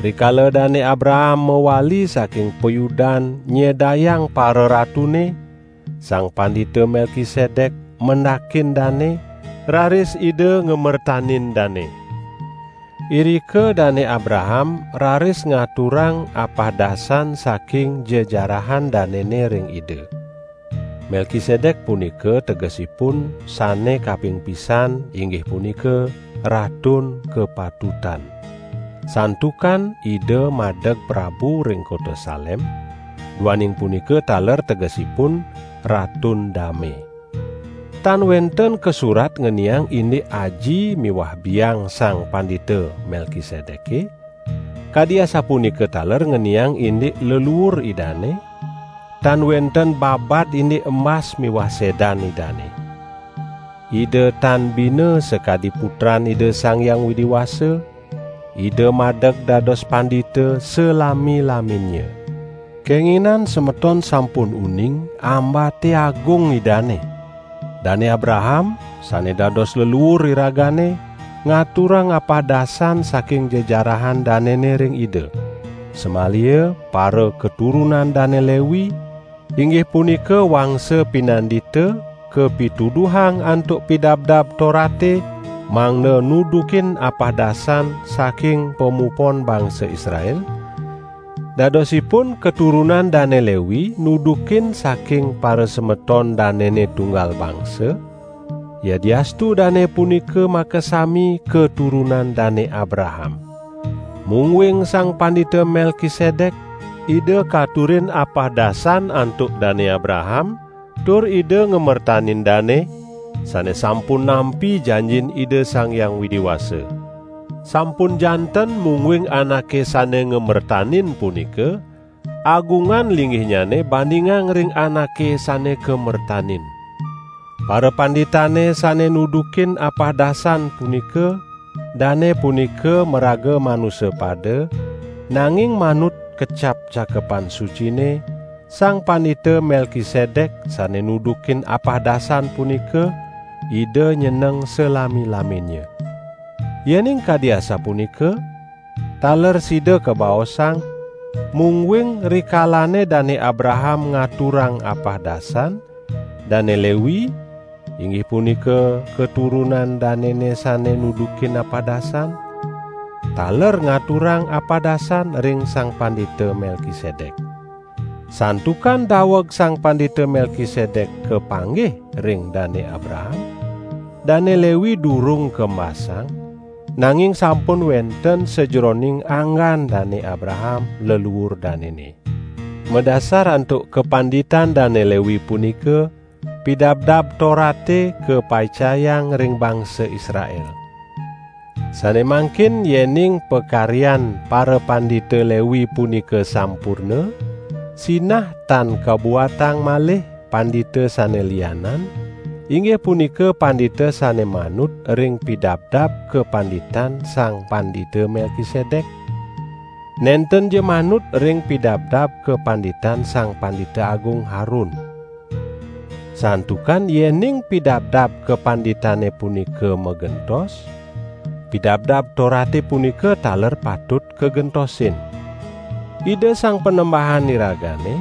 Rikala Dane Abraham mawali saking payudan nyedayang pararatune, Sang Pandita Melkisedek mendakin dane, raris Ida ngamertanin dane. Irika Dane Abraham raris ngaturang apahdasan saking jejarahan danene ring Ida. Melkisedek punika tegesipun sane kaping pisan, inggih punika Ratun Kapatutan. Santukan Ida madeg prabu ring kota Salem, duaning punika taler tegesipun Ratun Dame. Tan wenten kasurat ngeniang indik aji miwah biang Sang Pandita Melkisedeke, kadi asapunika taler ngeniang indik leluur Idane, tan wenten babad indik embas miwah sedan Idane. Ida tan bina sakadi Putran Ida Sang Hyang Widi Wasa, Ida madeg dados pandita salami-laminnya. Kenginan semeton sampun uning ambate agung Idane. Dane Abraham, sane dados leluur iragane, ngaturang apahdasan saking jejarahan danene ring Ida. Samalia para keturunan Dane Lewi, inggih punika wangsa pinandita, kapituduhang antuk Pidabdab Torate, mangda nudukin apahdasan saking pamupon bangsa Israel. Dadosipun keturunan Dane Lewi nudukin saking parasemeton danene tunggal bangsa, yadiastu dane punika makasami keturunan Dane Abraham. Mungguing Sang Pandita Melkisedek, Ida katurin apahdasan antuk Dane Abraham, tur Ida ngamertanin dane, sane sampun nampi janjin Ida Sang Hyang Widi Wasa. Sampun janten mungguing anake sane ngamertanin punika, agungan linggihnyane bandingang ring anake sane kamertanin. Parapanditane sane nudukin apahdasan punika, dane punika maraga manusa pada, nanging manut kecap Cakepan Sucine, Sang Pandita Melkisedek sane nudukin apahdasan punika, Ida nyeneng salami-laminnya. Yening kadi asapunika, taler sida kabaosang, mungguing rikalane Dane Abraham ngaturang apahdasan, Dane Lewi, inggih punika keturunan danene sane nudukin apahdasan, taler ngaturang apahdasan ring Sang Pandita Melkisedek. Santukan daweg Sang Pandita Melkisedek kapanggih ring Dane Abraham, Dane Lewi durung kembasang, nanging sampun wenten sajeroning anggan Dane Abraham, leluur danene. Madasar antuk kapanditan Dane Lewi punika, Pidabdab Torate kapaicayang ring bangsa Israel. Sane mangkin yening pakaryan parapandita Lewi punika sampurna, sinah tan kabuatang malih pandita sane lianan, inggih punika pandita sane manut ring pidabdab kapanditan Sang Pandita Melkisedek. Nentenja manut ring pidabdab kapanditan Sang Pandita Agung Harun. Santukan yening pidabdab kapanditane punika magentos, pidabdab Torate punika taler patut kagentosin. Ida Sang Panembahan iragane,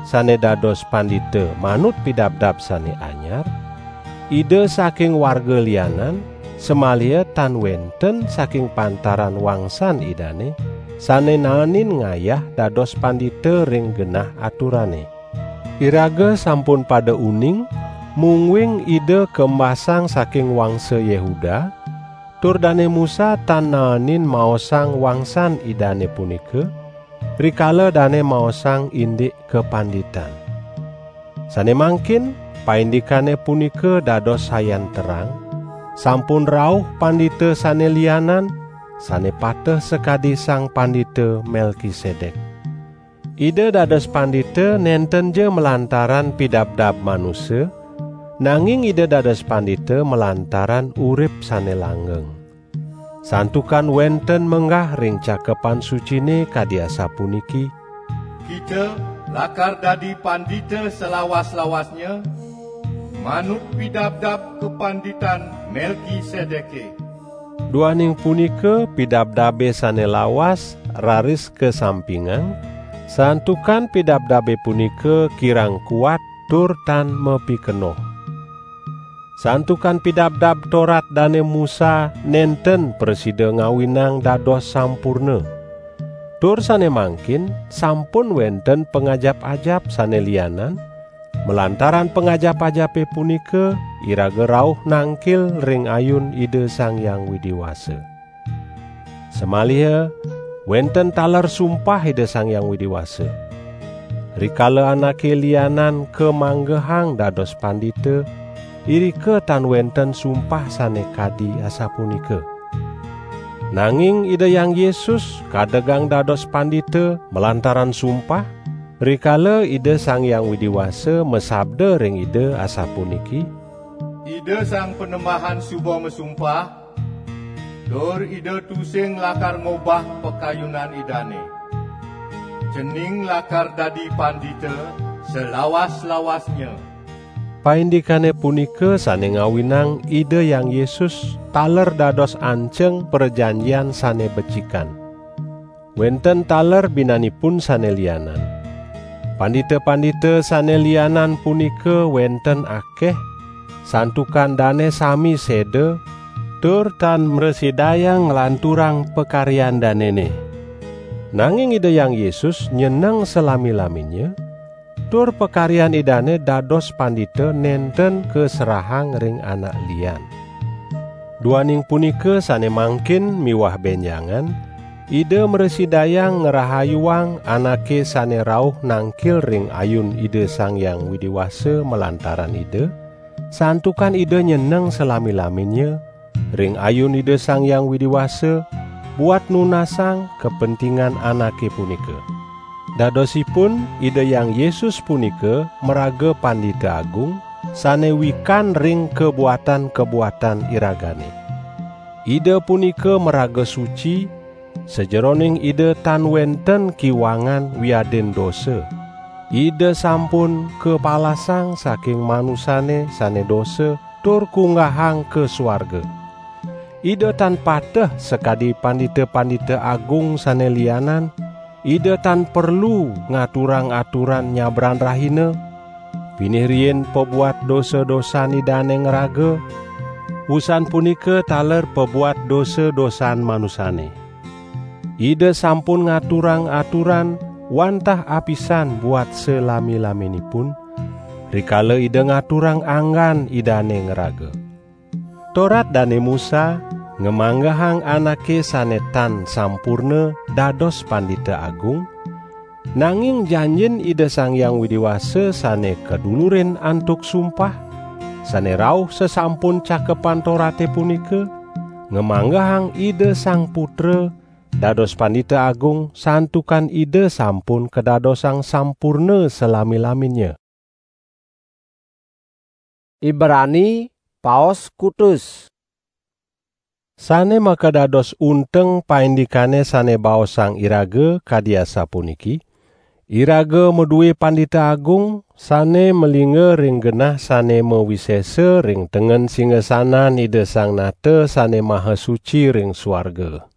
sane dados pandita manut pidabdab sane anyar, Ida saking warga lianan, samaliha tan wenten saking pantaran wangsan Idane, sane naenin ngayah dados pandita ring genah aturane. Iraga sampun pada uning, mungguing Ida kembasang saking wangsa Yehuda, tur Dane Musa tan naenin maosang wangsan Idane punika, rikala dane maosang indik kapanditan. Sane mangkin, paindikane punika dados sayan terang, sampun rauh pandita sane lianan, sane pateh sakadi Sang Pandita Melkisedek. Ida dados pandita nentenja malantaran pidabdab manusa, nanging Ida dados pandita malantaran urip sane langgeng. Santukan wenten menggah ring Cakepan Sucine kadi asapuniki: "Kita lakar dadi pandita salawas-lawasnya, manut pidabdab kapanditan Melkisedeke." Duaning punika pidabdabe sane lawas raris kasampingang, santukan pidabdabe punika kirang kuat tur tan mapikenoh. Santukan pidabdab Torat Dane Musa nenten prasida ngawinang dados sampurna. Tur sane mangkin sampun wenten pangajap-ajap sane lianan, malantaran pangajap-ajape punika iraga rauh nangkil ring ayun Ida Sang Hyang Widi Wasa. Samaliha wenten taler sumpah Ida Sang Hyang Widi Wasa. Rikala anake lianan kamanggehang dados pandita, irika tan wenten sumpah sane kadi asapunika. Nanging Ida Hyang Yesus kadegang dados pandita malantaran sumpah, rikala Ida Sang Hyang Widi Wasa masabda ring Ida asapuniki: "Ida Sang Panembahan suba masumpah, tur Ida tusing lakar ngobah pakayunan Idane. Cening lakar dadi pandita salawas-lawasnya." Paindikane punika sane ngawinang Ida Hyang Yesus taler dados anceng prajanjian sane becikan. Wenten taler binanipun sane lianan. Pandita-pandita sane lianan punika wenten akeh, santukan dane sami seda, tur tan mrasidayang nglanturang pakaryan danene. Nanging Ida Hyang Yesus nyeneng salami-laminnya, tur pakaryan Idane dados pandita nenten kaserahang ring anak lian. Duaning punika sane mangkin miwah benjangan, Ida mrasidayang ngrahayuang anake sane rauh nangkil ring ayun Ida Sang Hyang Widi Wasa malantaran Ida, santukan Ida nyeneng salami-laminnya, ring ayun Ida Sang Hyang Widi Wasa, buat nunasang kapentingan anake punika. Dadosipun, Ida Hyang Yesus punika maraga Pandita Agung, sane wikan ring kabuatan-kabuatan iragane. Ida punika maraga suci, sajeroning Ida tan wenten kiwangan wiadin dosa. Ida sampun kapalasang saking manusane sane dosa tur kunggahang ka suarga. Ida tan pateh sakadi pandita-pandita agung sane lianan, Ida tan perlu ngaturang aturan nyabran rahina, pinih riin pabuat dosa-dosan Idane ngraga, wusan punika taler pabuat dosa-dosan manusane. Ida sampun ngaturang aturan wantah apisan buat salami-laminipun, rikala Ida ngaturang anggan Idane ngraga. Torat Dane Musa ngamanggehang anake sane tan sampurna dados Pandita Agung, nanging janjin Ida Sang Hyang Widi Wasa sane kadulurin antuk sumpah, sane rauh sasampun Cakepan Torate punika, ngamanggehang Ida Sang Putra dados Pandita Agung santukan Ida sampun kadadosang sampurna salami-laminnya. Ibrani, paos kutus. Sane makadados unteng paindikane sane baosang iraga kadi asapuniki: Iraga madue Pandita Agung sane malingga ring genah sane mawisesa ring tengen singasanan Ida Sang Nata Sane Maha Suci ring suarga.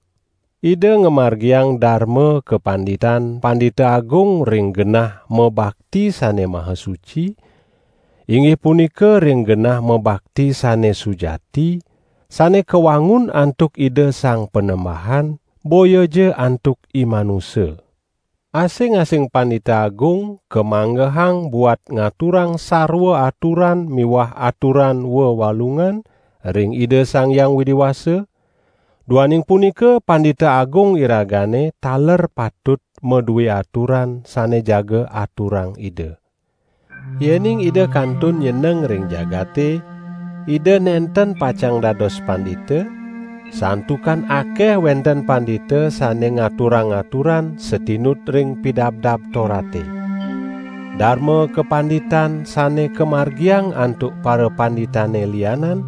Ida ngamargiang darma kapanditan Pandita Agung ring genah mabakti sane maha suci, inggih punika ring genah mabakti sane sujati, sane kawangun antuk Ida Sang Panembahan, boya ja antuk i manusa. Asing-asing Pandita Agung kamanggehang buat ngaturang sarwa aturan miwah aturan wewalungan ring Ida Sang Hyang Widi Wasa. Duaning punika, Pandita Agung iragane taler patut madue aturan sane jaga aturang Ida. Yening Ida kantun nyeneng ring jagate, Ida nenten pacang dados pandita, santukan akeh wenten pandita sane ngaturang aturan satinut ring Pidabdab Torate. Darma kapanditan sane kamargiang antuk parapanditane lianan,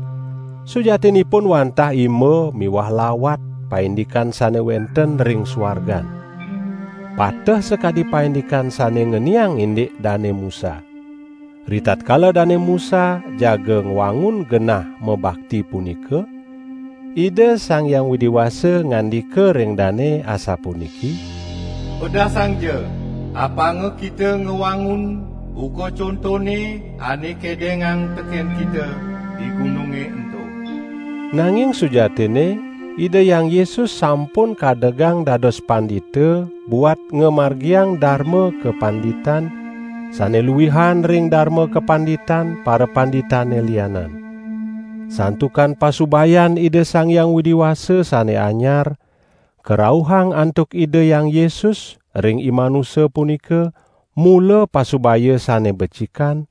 sujatinipun wantah imba miwah lawat paindikan sane wenten ring suargan. Pateh sakadi paindikan sane ngeniang indik Dane Musa. Ritatkala Dane Musa jaga ngwangun genah mabakti punika, Ida Sang Hyang Widi Wasa ngandika ring dane asapuniki: Pedasangja, apanga kita ngwangun buka contone ane kedengang teken kita di gununge ento. Nanging sujatinne, Ida Hyang Yesus sampun kadegang dados pandita buat ngamargiang darma kapanditan sane luihan ring darma kapanditan parapanditane lianan. Santukan pasubayan Ida Sang Hyang Widi Wasa sane anyar, karauhang antuk Ida Hyang Yesus ring i manusa punika, mula pasubaya sane becikan,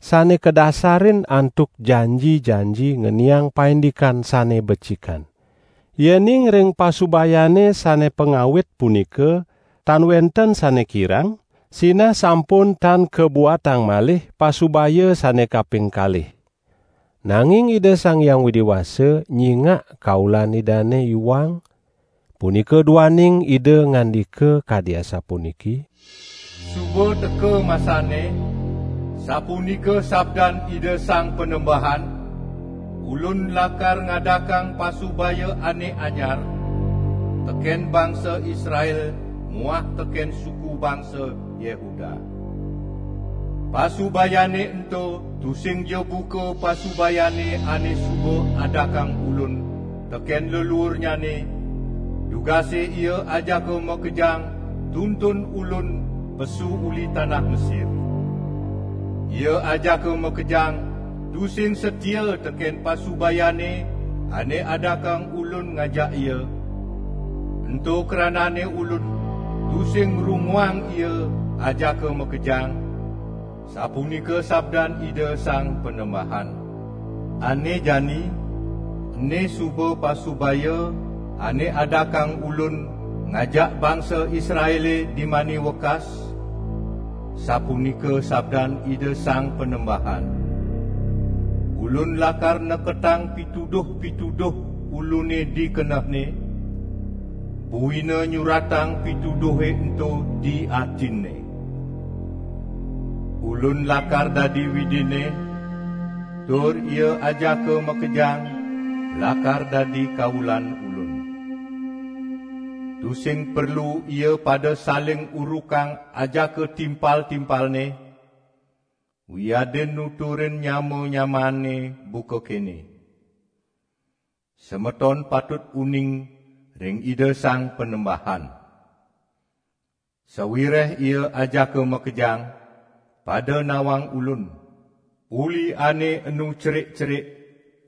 sane kadasarin antuk janji-janji ngeniang paindikan sane becikan. Yening ring pasubayane sane pangawit punika tan wenten sane kirang, sinah sampun tan kabuatang malih pasubaya sane kaping kalih. Nanging Ida Sang Hyang Widi Wasa nyingak kaulan Idane iwang, punika duaning Ida ngandika kadi asapuniki: Suba teka masane, sapunika sabdan Ida Sang Panembahan, Ulun lakar ngadakang pasubaya ane anyar teken bangsa Israel muah teken suku bangsa Yehuda. Pasubayane ento tusing ja buka pasubayane ane suba adakang Ulun teken leluurnyane, dugase ia ajaka makejang tuntun Ulun pesu uli tanah Mesir. Ia ajaka makejang tusing satia teken pasubayane ane adakang Ulun ngajak ia. Ento kranane Ulun tusing ngrunguang ia ajaka makejang, sapunika sabdan Ida Sang Panembahan. Ane jani, ene suba pasubaya ane adakang Ulun ngajak bangsa Israele di mani wekas, sapunika sabdan Ida Sang Panembahan: Ulun lakar neketang pituduh-pituduh Ulune di kenehne, buina nyuratang pituduhe ento di atinne. Ulun lakar dadi Widine, tur ia ajaka makejang lakar dadi kaulan Ulun. Tusing perlu ia pada saling urukang ajaka timpal-timpalne, wiadin nuturin nyama-nyamane buka kene: Semeton patut uning ring Ida Sang Panembahan. Sawireh ia ajaka makejang, pada nawang Ulun, uli ane enu cerik-cerik,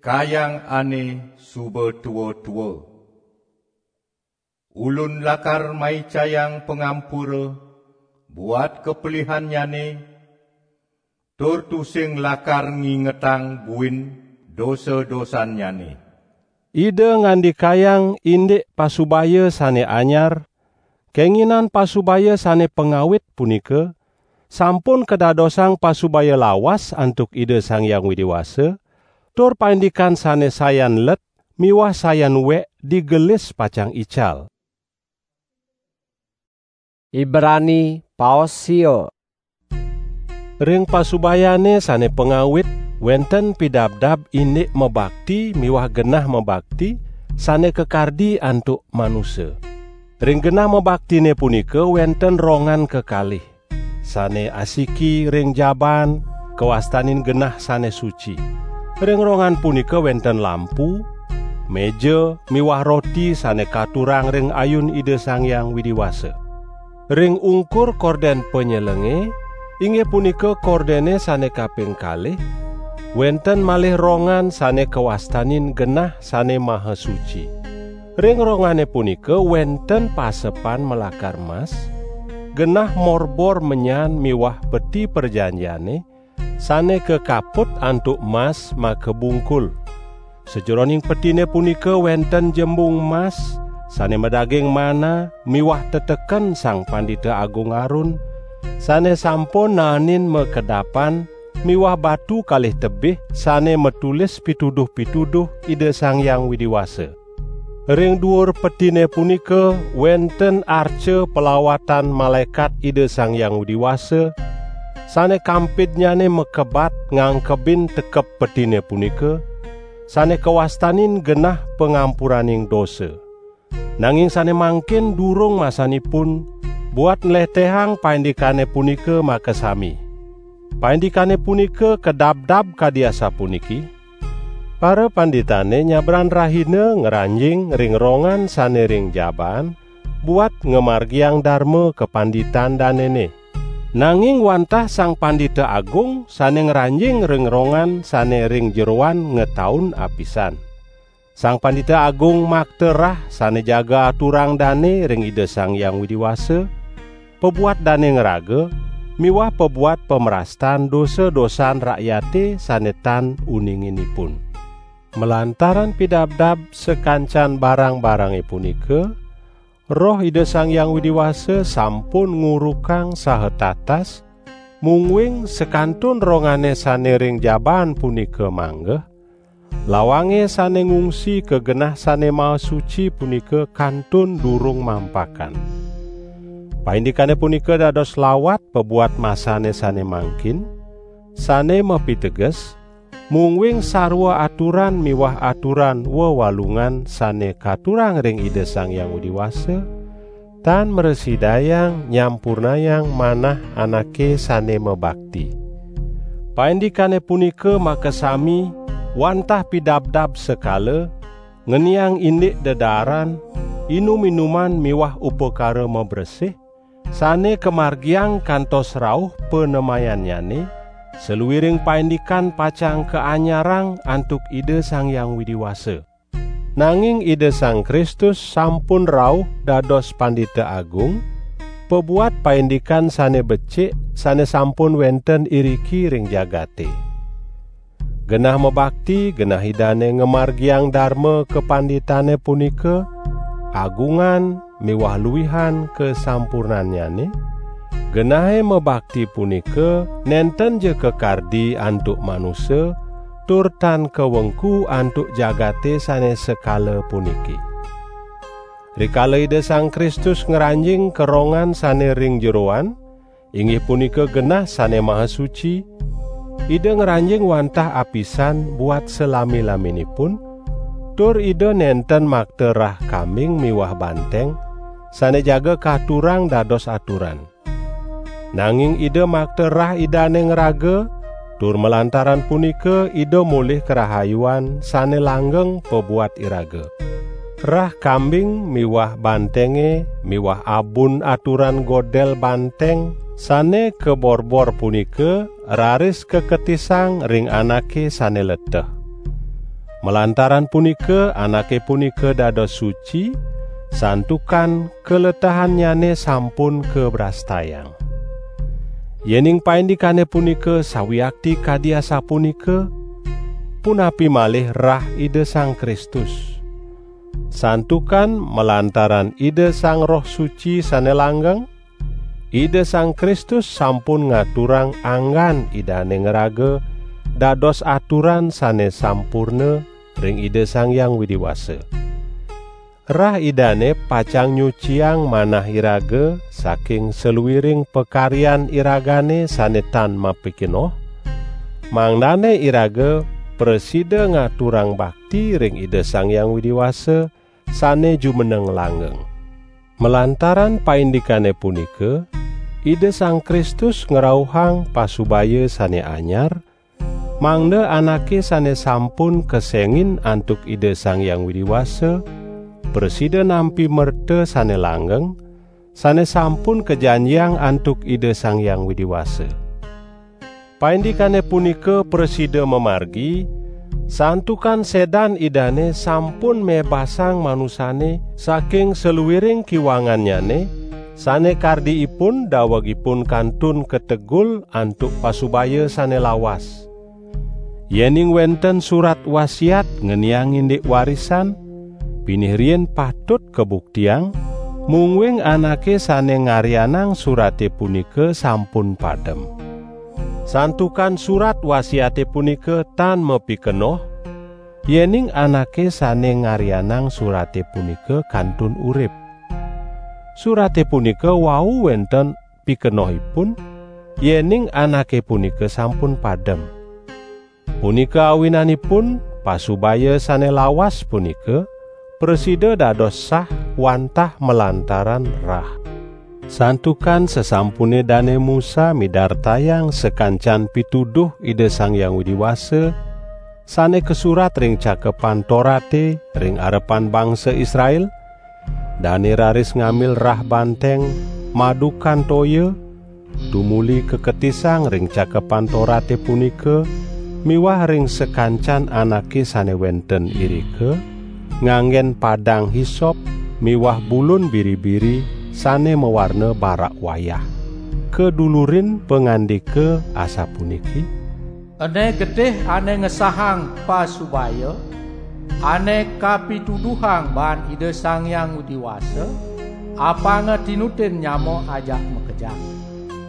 kayang ane suba tua-tua. Ulun lakar maicayang pangampura buat kapelihannyane, tur tusing lakar ngingetang buin dosa-dosannyane. Ida ngandikayang indik pasubaya sane anyar, kenginan pasubaya sane pangawit punika sampun kadadosang pasubaya lawas antuk Ida Sang Hyang Widi Wasa, tur paindikan sane sayan let miwah sayan wek digelis pacang ical. Ibrani paos sia. Ring pasubayane sane pangawit wenten pidabdab indik mabakti miwah genah mabakti sane kakardi antuk manusa. Ring genah mabaktine punika wenten rongan kekalih, sane asiki ring jaban kawastanin genah sane suci. Ring rongan punika wenten lampu, meja miwah roti sane katurang ring ayun Ida Sang Hyang Widi Wasa. Ring ungkur korden panyelenge, inggih punika kordene sane kaping kalih, wenten malih rongan sane kawastanin genah sane maha suci. Ring rongane punika wenten pasepan malakar mas, genah morbor menyan miwah peti prajanjiane, sane kakaput antuk mas makabungkul. Sajeroning petine punika wenten jembung mas, sane madaging mana miwah teteken Sang Pandita Agung Arun, sane sampun naenin makedapan miwah batu kalih tebih sane matulis pituduh-pituduh Ida Sang Hyang Widi Wasa. Ring duur petine punika wenten arca palawatan malaekat Ida Sang Hyang Widi Wasa, sane kampidnyane makebat ngangkebin tekep petine punika, sane kawastanin genah pangampuraning dosa. Nanging sane mangkin durung masanipun buat nletehang paindikane punika makasami. Paindikane punika kadabdab kadi asapuniki: Parapanditane nyabran rahina ngranjing ring rongan sane ring jabaan buat ngamargiang darma kapanditan danene. Nanging wantah Sang Pandita Agung sane ngranjing ring rongan sane ring jeroan ngetaun apisan. Sang Pandita Agung makta rah sane jaga aturang dane ring Ida Sang Hyang Widi Wasa, pabuat dane ngraga, miwah pabuat pamrastan dosa-dosan rakyate sane tan uninginipun. Malantaran pidabdab sakancan barang-barange punika, Roh Ida Sang Hyang Widi Wasa sampun ngurukang saha tatas, mungguing sakantun rongane sane ring jabaan punika manggeh, lawange sane ngungsi ka genah sane maha suci punika kantun durung mampakan. Paindikane punika dados lawat pabuat masane sane mangkin, sane mapiteges, mungguing sarwa aturan miwah aturan wewalungan sane katurang ring Ida Sang Hyang Widi Wasa, tan mrasidayang nyampurnayang manah anake sane mabakti. Paindikane punika makasami wantah pidabdab sekala, ngeniang indik dedaaran, inum-inuman miwah upakara mabresih, sane kamargiang kantos rauh panemayannyane, saluiring paindikan pacang kaanyarang antuk Ida Sang Hyang Widi Wasa. Nanging Ida Sang Kristus sampun rauh dados Pandita Agung, pabuat paindikan sane becik sane sampun wenten iriki ring jagate. Genah mabakti, genah Idane ngamargiang darma kapanditane punika, agungan miwah luihan kasampurnannyane. Genahe mabakti punika nenten ja kakardi antuk manusa, tur tan kawengku antuk jagate sane sekala puniki. Rikala Ida Sang Kristus ngranjing ka rongan sane ring jeroan, inggih punika genah sane maha suci, Ida ngranjing wantah apisan buat salami-laminipun, tur Ida nenten makta rah kambing miwah banteng, sane jaga katurang dados aturan. Nanging Ida makta rah Idane ngraga, tur malantaran punika Ida molih karahayuan sane langgeng pabuat iraga. Rah kambing miwah bantenge miwah abun aturan godel banteng sane kaborbor punika raris kaketisang ring anake sane leteh. Malantaran punika anake punika dados suci, santukan kaletehannyane sampun kabrastayang. Yening paindikane punika sawiakti kadi asapunika, punapi malih rah Ida Sang Kristus? Santukan malantaran Ida Sang Roh Suci sane langgeng, Ida Sang Kristus sampun ngaturang anggan Idane ngraga dados aturan sane sampurna ring Ida Sang Hyang Widi Wasa. Rah Idane pacang nyuciang manah iraga saking saluiring pakaryan iragane sane tan mapikenoh, mangdane iraga prasida ngaturang bakti ring Ida Sang Hyang Widi Wasa sane jumeneng langgeng. Malantaran paindikane punika, Ida Sang Kristus ngrauhang pasubaya sane anyar, mangda anake sane sampun kesengin antuk Ida Sang Hyang Widi Wasa prasida nampi merta sane langgeng, sane sampun kajanjiang antuk Ida Sang Hyang Widi Wasa. Paindikane punika prasida mamargi, santukan sedan Idane sampun mebasang manusane saking saluiring kiwangannyane, sane kardi ipun daweg ipun kantun kategul antuk pasubaya sane lawas. Yening wenten surat wasiat ngeniang indik warisan, pinih riin patut kabuktiang, mungguing anake sane ngarianang surate punika sampun padem. Santukan surat wasiate punika tan mapikenoh, yening anake sane ngarianang surate punika kantun urip. Surate punika wau wenten pikenohipun, yening anake punika sampun padem. Punika awinanipun, pasubaya sane lawas punika prasida dados sah wantah malantaran rah. Santukan sasampune Dane Musa midartayang sakancan pituduh Ida Sang Hyang Widi Wasa, sane kasurat ring Cakepan Torate ring arepan bangsa Israel, dane raris ngambil rah banteng, madukan toya, tumuli kaketisang ring Cakepan Torate punika miwah ring sakancan anake sane wenten irika, nganggen padang hisop miwah bulun biri-biri sane mawarna barak wayah. Kadulurin pangandika asapuniki: Ene getih ane ngesahang pasubaya, ane kapituduhang baan Ida Sang Hyang Widi Wasa, apanga tinutin nyama ajak makejang.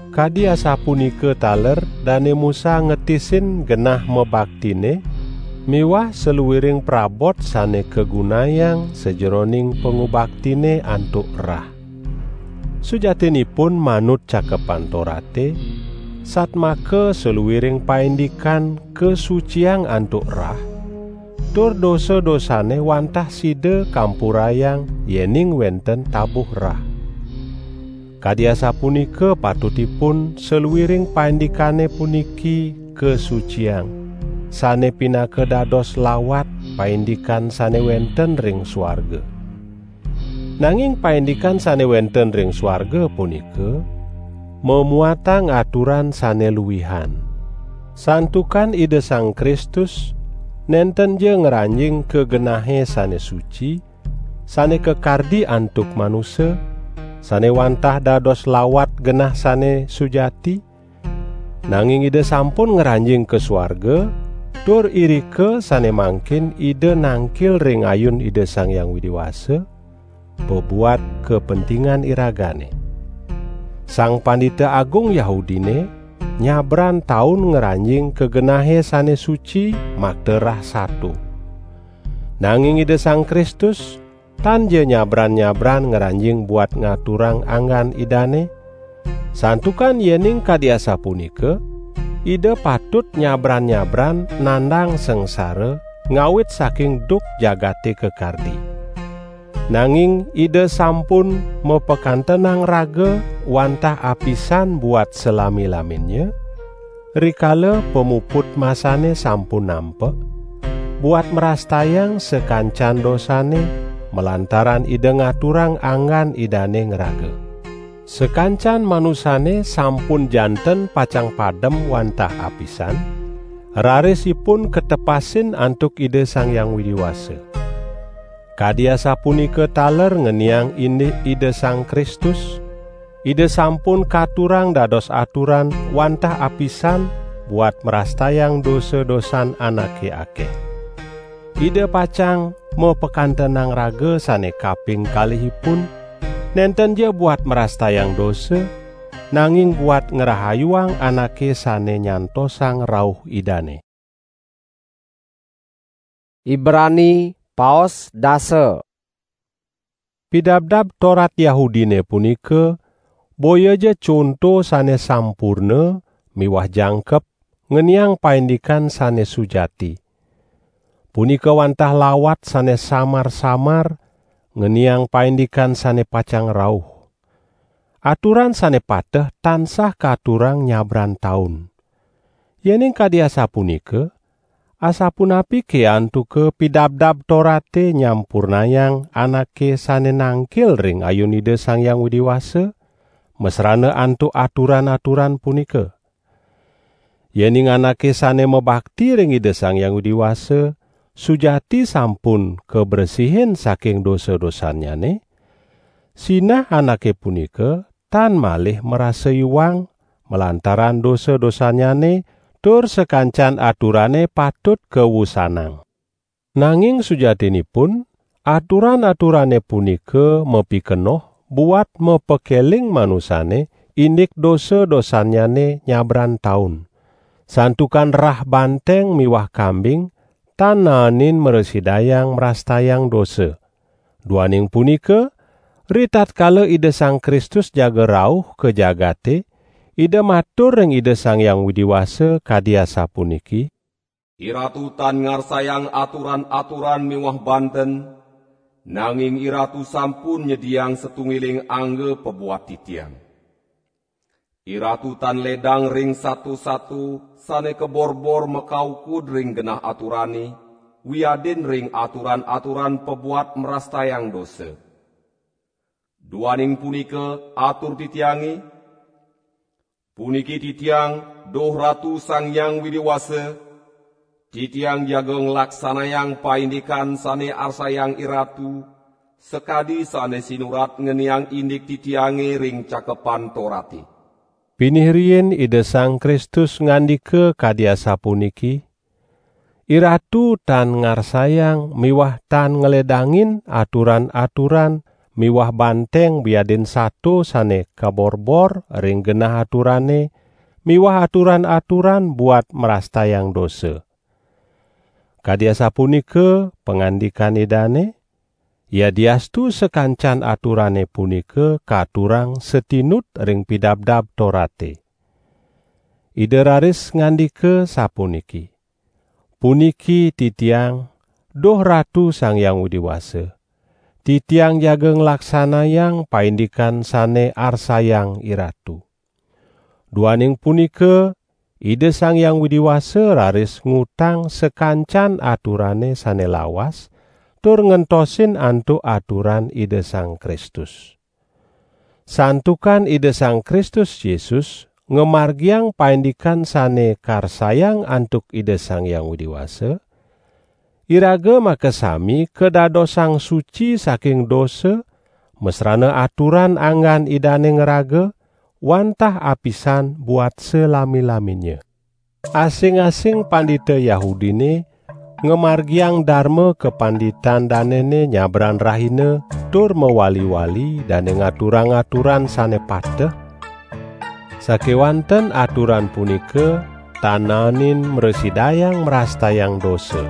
Kadi asapunika taler Dane Musa ngetisin genah mabaktine miwah saluiring prabot sane kagunayang sajeroning pangubaktine antuk rah. Sujatinipun manut Cakepan Torate, satmaka saluiring paindikan kasuciang antuk rah, tur dosa-dosane wantah sida kampurayang yening wenten tabuh rah. Kadi asapunika patutipun saluiring paindikane puniki kasuciang, sane pinaka dados lawat paindikan sane wenten ring suarga. Nanging paindikan sane wenten ring suarga punika mamuatang aturan sane luihan. Santukan Ida Sang Kristus nenten ja ngranjing ka genahe sane suci, sane kakardi antuk manusa, sane wantah dados lawat genah sane sujati, nanging Ida sampun ngranjing ka suarga, tur irika sane mangkin Ida nangkil ring ayun Ida Sang Hyang Widi Wasa, pabuat kapentingan iragane. Sang Pandita Agung Yahudine nyabran taun ngranjing ka genahe sane suci makta rah sato. Nanging Ida Sang Kristus tan ja nyabran-nyabran ngranjing buat ngaturang anggan Idane, santukan yening kadi asapunika, Ida patut nyabran-nyabran nandang sangsara ngawit saking duk jagate kakardi. Nanging Ida sampun mapakantenang raga wantah apisan buat salami-laminnya, rikala pamuput masane sampun nampek, buat mrastayang sakancan dosane, malantaran Ida ngaturang anggan Idane ngraga. Sakancan manusane sampun janten pacang padem wantah apisan, raris ipun katepasin antuk Ida Sang Hyang Widi Wasa. Kadi asapunika taler ngeniang indik Ida Sang Kristus, Ida sampun katurang dados aturan wantah apisan buat mrastayang dosa-dosan anake akeh. Ida pacang mapakantenang raga sane kaping kalihipun, nenten ja buat mrastayang dosa, nanging buat ngrahayuang anake sane nyantosang rauh Idane. Ibrani paos dasa. Pidabdab Torat Yahudine punika boya ja conto sane sampurna miwah jangkep ngeniang paindikan sane sujati. Punika wantah lawat sane samar-samar ngeniang paindikan sane pacang rauh. Aturan sane pateh tansah katurang nyabran taun. Yening kadi asapunika, asapunapike antuka Pidabdab Torate nyampurnayang anake sane nangkil ring ayun Ida Sang Hyang Widi Wasa, masrana antuk aturan-aturan punika? Yening anake sane mabakti ring Ida Sang Hyang Widi Wasa sujati sampun kabresihin saking dosa-dosannyane, sinah anake punika tan malih marasa iwang malantaran dosa-dosannyane, tur sakancan aturane patut kawusanang. Nanging sujatinipun, aturan-aturane punika mapikenoh buat mapakeling manusane indik dosa-dosannyane nyabran taun. Santukan rah banteng miwah kambing tan naenin mrasidayang mrastayang dosa. Duaning punika, ritatkala Ida Sang Kristus jaga rauh ka jagate, Ida matur ring Ida Sang Hyang Widi Wasa kadi asapuniki: "IRatu tan ngarsayang aturan-aturan miwah banten, nanging IRatu sampun nyediang satunggiling angga pabuat titiang. IRatu tan ledang ring sato-sato sane kaborbor makaukud ring genah aturane, wiadin ring aturan-aturan pabuat mrastayang dosa. Duaning punika, atur titiange, puniki titiang, duh Ratu Sang Hyang Widi Wasa, titiang jaga nglaksanayang paindikan sane arsayang IRatu, sakadi sane sinurat ngeniang indik titiange ring Cakepan Torate." Pinih riin Ida Sang Kristus ngandika kadi asapuniki: "IRatu tan ngarsayang miwah tan ngledangin aturan-aturan miwah banteng wiadin sato sane kaborbor ring genah aturane miwah aturan-aturan buat mrastayang dosa." Kadi asapunika pangandikan Idane, yadiastu sakancan aturane punika katurang satinut ring Pidabdab Torate. Ida raris ngandika sapuniki: "Puniki titiang, duh Ratu Sang Hyang Widi Wasa, titiang jaga nglaksanayang paindikan sane arsayang IRatu." Duaning punika, Ida Sang Hyang Widi Wasa raris ngutang sakancan aturane sane lawas, tur ngentosin antuk aturan Ida Sang Kristus. Santukan Ida Sang Kristus Yesus ngamargiang paindikan sane karsayang antuk Ida Sang Hyang Widi Wasa, iraga makasami kadadosang suci saking dosa, masrana aturan anggan Idane ngraga, wantah apisan buat salami-laminnya. Asing-asing pandita Yahudine ngamargiang darma kapanditan danene nyabran rahina, tur mawali-wali dane ngaturang aturan sane pateh. Sakewanten aturan punika tan naenin mrasidayang mrastayang dosa.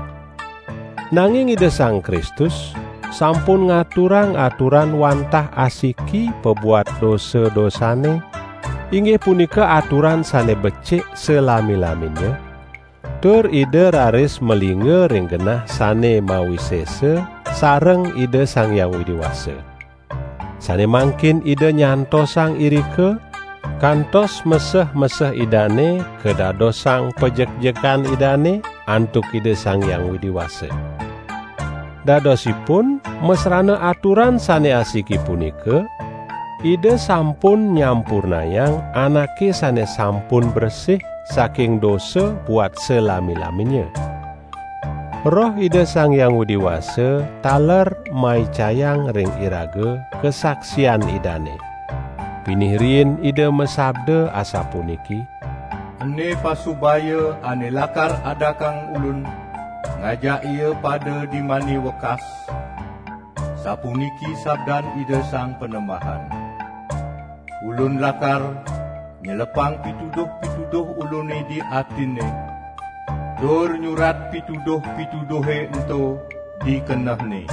Nanging Ida Sang Kristus sampun ngaturang aturan wantah asiki pabuat dosa-dosane, inggih punika aturan sane becik salami-laminnya, tur Ida raris malingga ring genah sane mawisesa sareng Ida Sang Hyang Widi Wasa. Sane mangkin Ida nyantosang irika, kantos meseh-meseh Idane kadadosang pajekjekan Idane antuk Ida Sang Hyang Widi Wasa. Dadosipun, masrana aturan sane asiki punika, Ida sampun nyampurnayang anake sane sampun bresih saking dosa buat salami-laminnya. Roh Ida Sang Hyang Widi Wasa taler maicayang ring iraga kasaksian Idane. Pinih riin Ida masabda asapuniki: "Ene pasubaya ane lakar adakang Ulun, ngajak ia pada di mani wekas." Sapuniki sabdan Ida Sang Panembahan: "Ulun lakar nyelepang pituduh-pituduh Ulune di atine, tur nyurat pituduh-pituduhe ento di kenehne."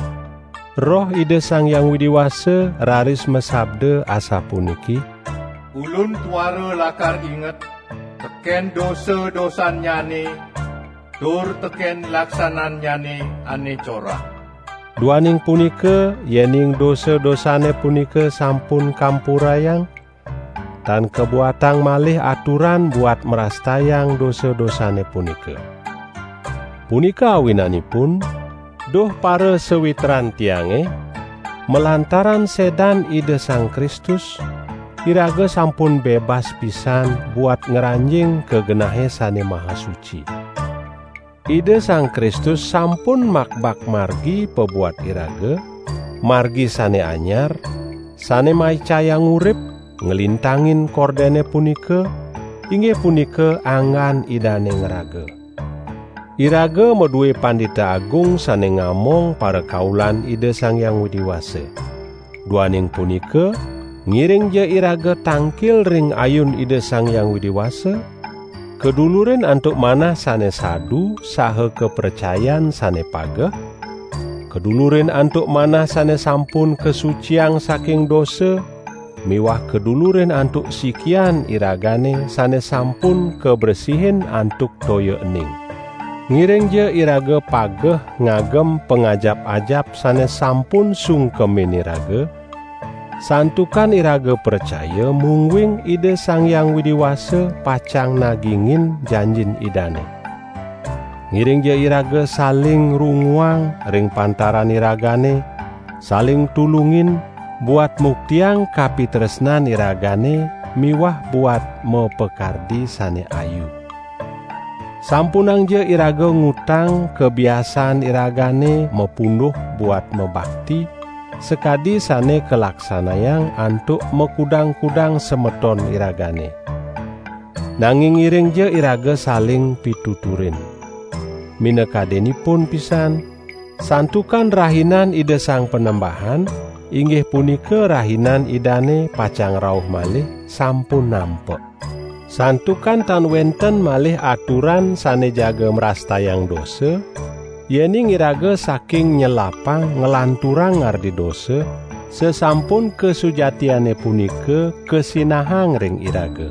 Roh Ida Sang Hyang Widi Wasa raris masabda asapuniki: "Ulun tuara lakar inget teken dosa-dosannyane tur teken laksanannyane ane corah." Duaning punika, yening dosa-dosane punika sampun kampurayang, tan kabuatang malih aturan buat mrastayang dosa-dosane punika. Punika awinanipun, duh para sawitran tiange, malantaran sedan Ida Sang Kristus, iraga sampun bebas pisan buat ngranjing ka genahe sane maha suci. Ida Sang Kristus sampun makbak margi pabuat iraga, margi sane anyar, sane maicayang urip, nglintangin kordene punika, inggih punika anggan Idane ngraga. Iraga madue Pandita Agung sane ngamong parakaulan Ida Sang Hyang Widi Wasa. Duaning punika, ngiringja iraga tangkil ring ayun Ida Sang Hyang Widi Wasa, kadulurin antuk manah sane sadu saha kapracayan sane pageh, kadulurin antuk manah sane sampun kasuciang saking dosa, miwah kadulurin antuk sikian iragane sane sampun kabresihin antuk toya ening. Ngiringja iraga pageh ngagem pangajap-ajap sane sampun sungkemin iraga, santukan iraga pracaya mungguing Ida Sang Hyang Widi Wasa pacang nagingin janjin Idane. Ngiringja iraga saling runguang ring pantaran iragane, saling tulungin, buat muktiang kapitresnan iragane miwah buat mapakardi sane ayu. Sampunangja iraga ngutang kabiasaan iragane mapunduh buat mabakti, sakadi sane kalaksanayang antuk makudang-kudang semeton iragane. Nanging ngiringja iraga saling pituturin. Minakadinipun pisan, santukan rahinan Ida Sang Panembahan, inggih punika rahinan Idane pacang rauh malih, sampun nampek. Santukan tan wenten malih aturan sane jaga mrastayang dosa, yening iraga saking nyelapang nglanturang ngardi dosa, sasampun kasujatiane punika kasinahang ring iraga.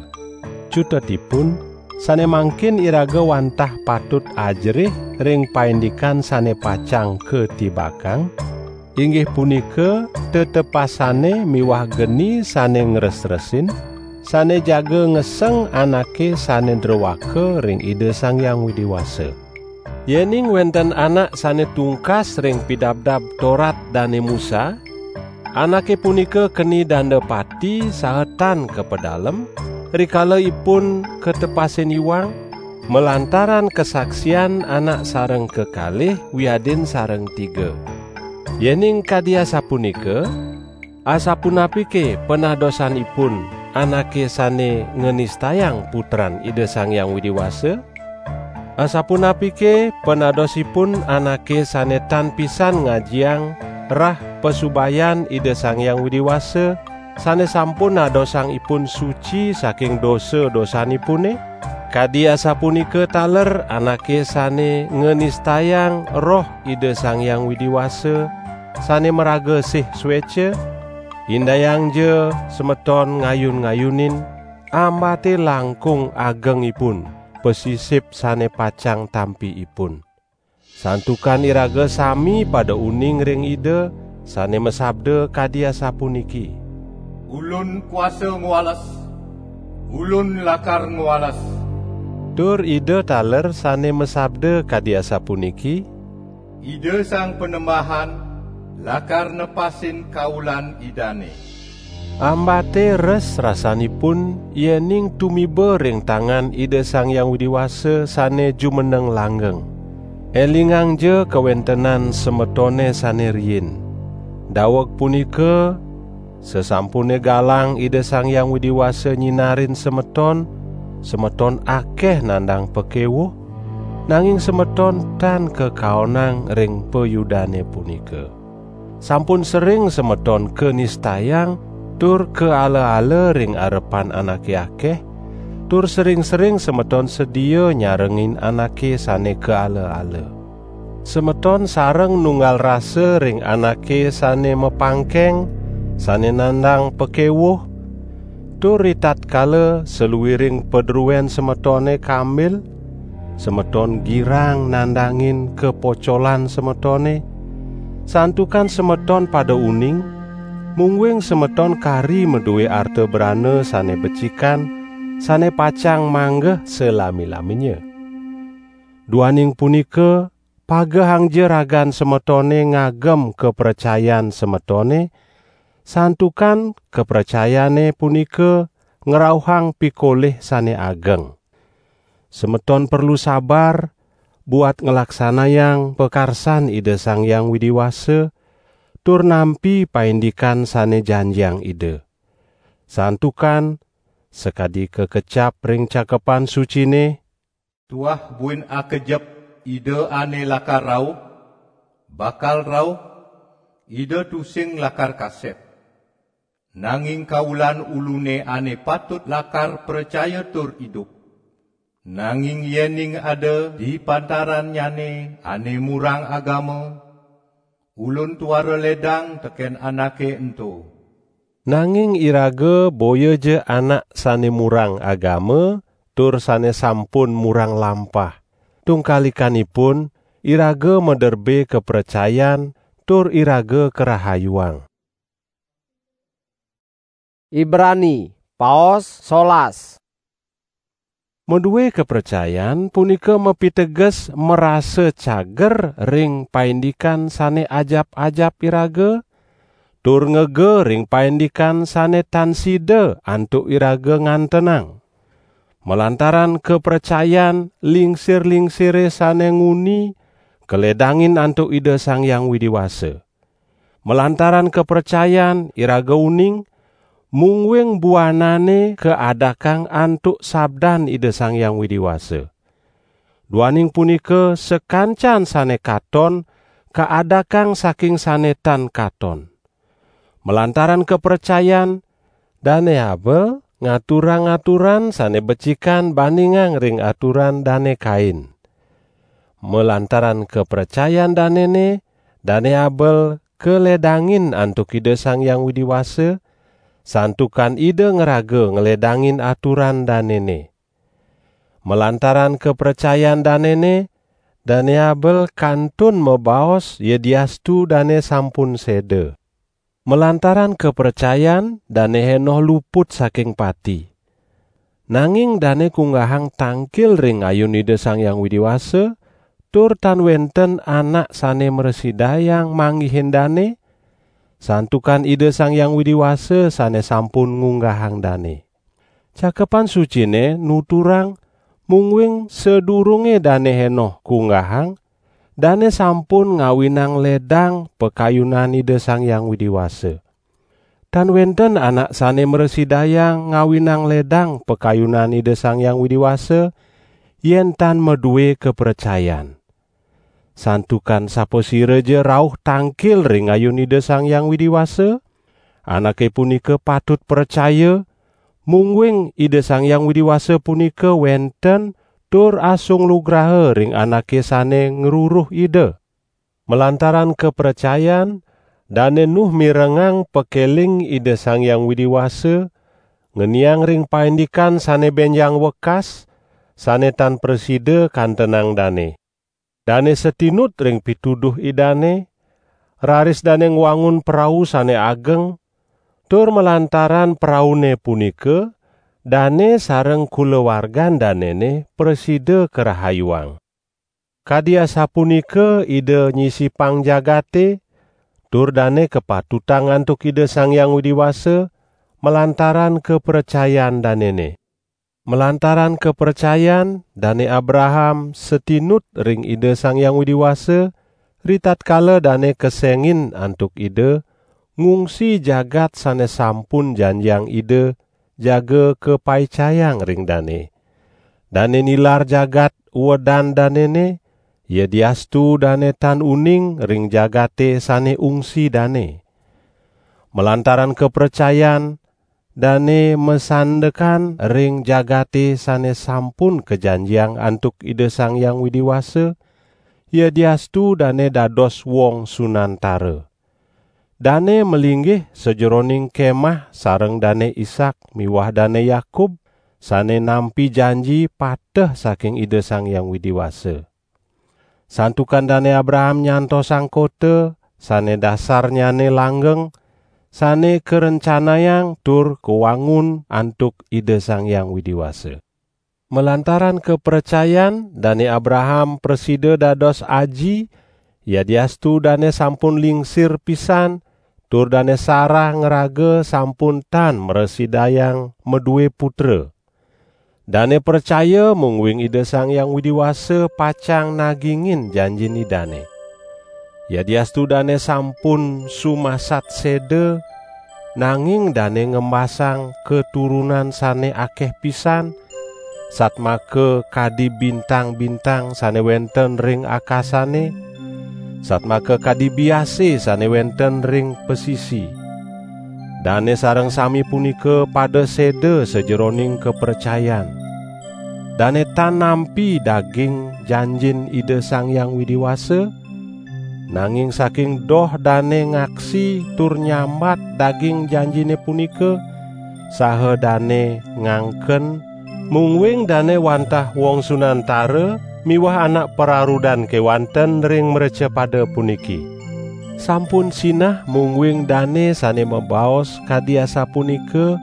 Cutetipun, sane mangkin iraga wantah patut ajerih ring paindikan sane pacang katibakang, inggih punika tetepasane miwah geni sane ngresresin, sane jaga ngeseng anake sane drewaka ring Ida Sang Hyang Widi Wasa. Yening wenten anak sane tungkas ring Pidabdab Torat Dane Musa, anake punika keni danda pati saha tan kapadalem, rikala ipun katepasin iwang, malantaran kasaksian anak sareng kekalih wiadin sareng tiga. Yening kadi asapunika, asapunapike panadosanipun anake sane nganistayang Putran Ida Sang Hyang Widi Wasa? Asapunapike panadosipun anake sane tan pisan ngajiang rah pasubayan Ida Sang Hyang Widi Wasa, sane sampun nadosang ipun suci saking dosa-dosanipune? Kadi asapunika taler anake sane nganistayang Roh Ida Sang Hyang Widi Wasa, sane maraga sih sueca? Indayangja semeton ngayun-ngayunin, ambate langkung agengipun, pasisip sane pacang tampi ipun. Santukan iraga sami pada uning ring Ida, sane masabda kadi asapuniki: "Ulun kuasa ngwales, Ulun lakar ngwales." Tur Ida taler sane masabda kadi asapuniki: "Ida Sang Panembahan lakar nepasin kaulan Idane." Ambate res rasanipun yening tumiba ring tangan Ida Sang Hyang Widi Wasa sane jumeneng langgeng. Elingangja kawentenan semetone sane riin. Daweg punika, sasampune galang Ida Sang Hyang Widi Wasa nyinarin semeton, semeton akeh nandang pakewuh, nanging semeton tan kakaonang ring payudane punika. Sampun sering semeton kanistayang tur kaala-ala ring arepan anake akeh, tur sering-sering semeton sedia nyarengin anake sane kaala-ala. Semeton sareng nunggal rasa ring anake sane mapangkeng, sane nandang pakewuh, tur ritatkala saluiring padruen semetone kambil, semeton girang nandangin kapocolan semetone, santukan semeton pada uning, Mungguing semeton kari madue arta brana sane becikan, sane pacang manggeh salami-laminnya. Duaning punika, pagehangja ragan semetone ngagem kapracayan semetone, santukan kapracayane punika ngrauhang pikolih sane ageng. Semeton perlu sabar buat nglaksanayang pakarsan Ida Sang Hyang Widi Wasa, tur nampi paindikan sane janjiang Ida. Santukan, sakadi kakecap ring Cakepan Sucine, "Tuah buin akejep Ida ane lakar rauh, bakal rauh, Ida tusing lakar kasep. Nanging kawulan ulune ane patut lakar pracaya tur idup. Nanging yening ada di pantarannyane ane murang agama, Ulun tuara ledang teken anake ento." Nanging iraga boyaja anak sane murang agama tur sane sampun murang lampah. Tungkalikanipun, iraga maderbe kapracayan tur iraga karahayuang. Ibrani, paos solas. Madue kapracayan punika mapiteges marasa cager ring paindikan sane ajap-ajap iraga, tur ngega ring paindikan sane tan sida antuk iraga ngantenang. Malantaran kapracayan, lingsir-lingsire sane nguni kaledangin antuk Ida Sang Hyang Widi Wasa. Malantaran kapracayan iraga uning, mungguing buanane kaadakang antuk sabdan Ida Sang Hyang Widi Wasa. Duaning punika, sakancan sane katon kaadakang saking sane tan katon. Malantaran kapracayan, Dane Abel ngaturang aturan sane becikan bandingang ring aturan Dane Kain. Malantaran kapracayan danene, Dane Abel kaledangin antuk Ida Sang Hyang Widi Wasa, santukan Ida ngraga ngledangin aturan danene. Malantaran kapracayan danene, Dane Abel kantun mabaos yadiastu dane sampun seda. Malantaran kapracayan, Dane Henoh luput saking pati. Nanging dane kunggahang tangkil ring ayun Ida Sang Hyang Widi Wasa, tur tan wenten anak sane mrasidayang manggihin dane, santukan Ida Sang Hyang Widi Wasa sane sampun ngunggahang dane. Cakepan Sucine nuturang, mungguing sadurunge Dane Henoh kunggahang, dane sampun ngawinang ledang pakayunan Ida Sang Hyang Widi Wasa. Tan wenten anak sane mrasidayang ngawinang ledang pakayunan Ida Sang Hyang Widi Wasa, yen tan madue kapracayan. Santukan sapasiraja rauh tangkil ring ayun Ida Sang Hyang Widi Wasa, anake punika patut pracaya, mungguing Ida Sang Hyang Widi Wasa punika wenten tur asung lugraha ring anake sane ngruruh Ida. Malantaran kapracayan, Dane Nuh mirengang pakeling Ida Sang Hyang Widi Wasa, ngeniang ring paindikan sane benjang wekas, sane tan prasida kantenang dane. Dane satinut ring pituduh Idane, raris dane ngwangun prau sane ageng, tur malantaran praune punika, dane sareng kulawargan danene prasida karahayuang. Kadi asapunika Ida nyisipang jagate, tur dane kapatutang antuk Ida Sang Hyang Widi Wasa, malantaran kapracayan danene. Malantaran kapracayan, Dane Abraham satinut ring Ida Sang Hyang Widi Wasa, ritatkala dane kesengin antuk Ida, ngungsi jagat sane sampun janjiang Ida jaga kapaicayang ring dane. Dane nilar jagat uedan danene, yadiastu dane tan uning ring jagate sane ungsi dane. Malantaran kapracayan, dane masandekan ring jagate sane sampun kajanjiang antuk Ida Sang Hyang Widi Wasa, yadiastu dane dados wong sunantara. Dane malinggih sajeroning kemah sareng Dane Ishak miwah Dane Yakub, sane nampi janji pateh saking Ida Sang Hyang Widi Wasa. Santukan Dane Abraham nyantosang kota, sane dasarnyane langgeng, sane karencanayang tur kawangun antuk Ida Sang Hyang Widi Wasa. Malantaran kapracayan, Dane Abraham prasida dados aji, yadiastu dane sampun lingsir pisan, tur Dane Sarah ngraga sampun tan mrasidayang madue putra. Dane pracaya mungguing Ida Sang Hyang Widi Wasa pacang nagingin janjin Idane. Yadiastu dane sampun sumasat seda, nanging dane ngembasang katurunan sane akeh pisan, satmaka kadi bintang-bintang sane wenten ring akasane, satmaka kadi biase sane wenten ring pasisi. Dane sareng sami punika pada seda sajeroning kapracayan. Dane tan nampi daging janjin Ida Sang Hyang Widi Wasa, nanging saking doh dane ngaksi tur nyambat daging janjine punika, saha dane ngangken, mungguing dane wantah wong sunantara miwah anak pararudan kewanten ring mrecapada puniki. Sampun sinah mungguing dane sane mabaos kadi asapunika,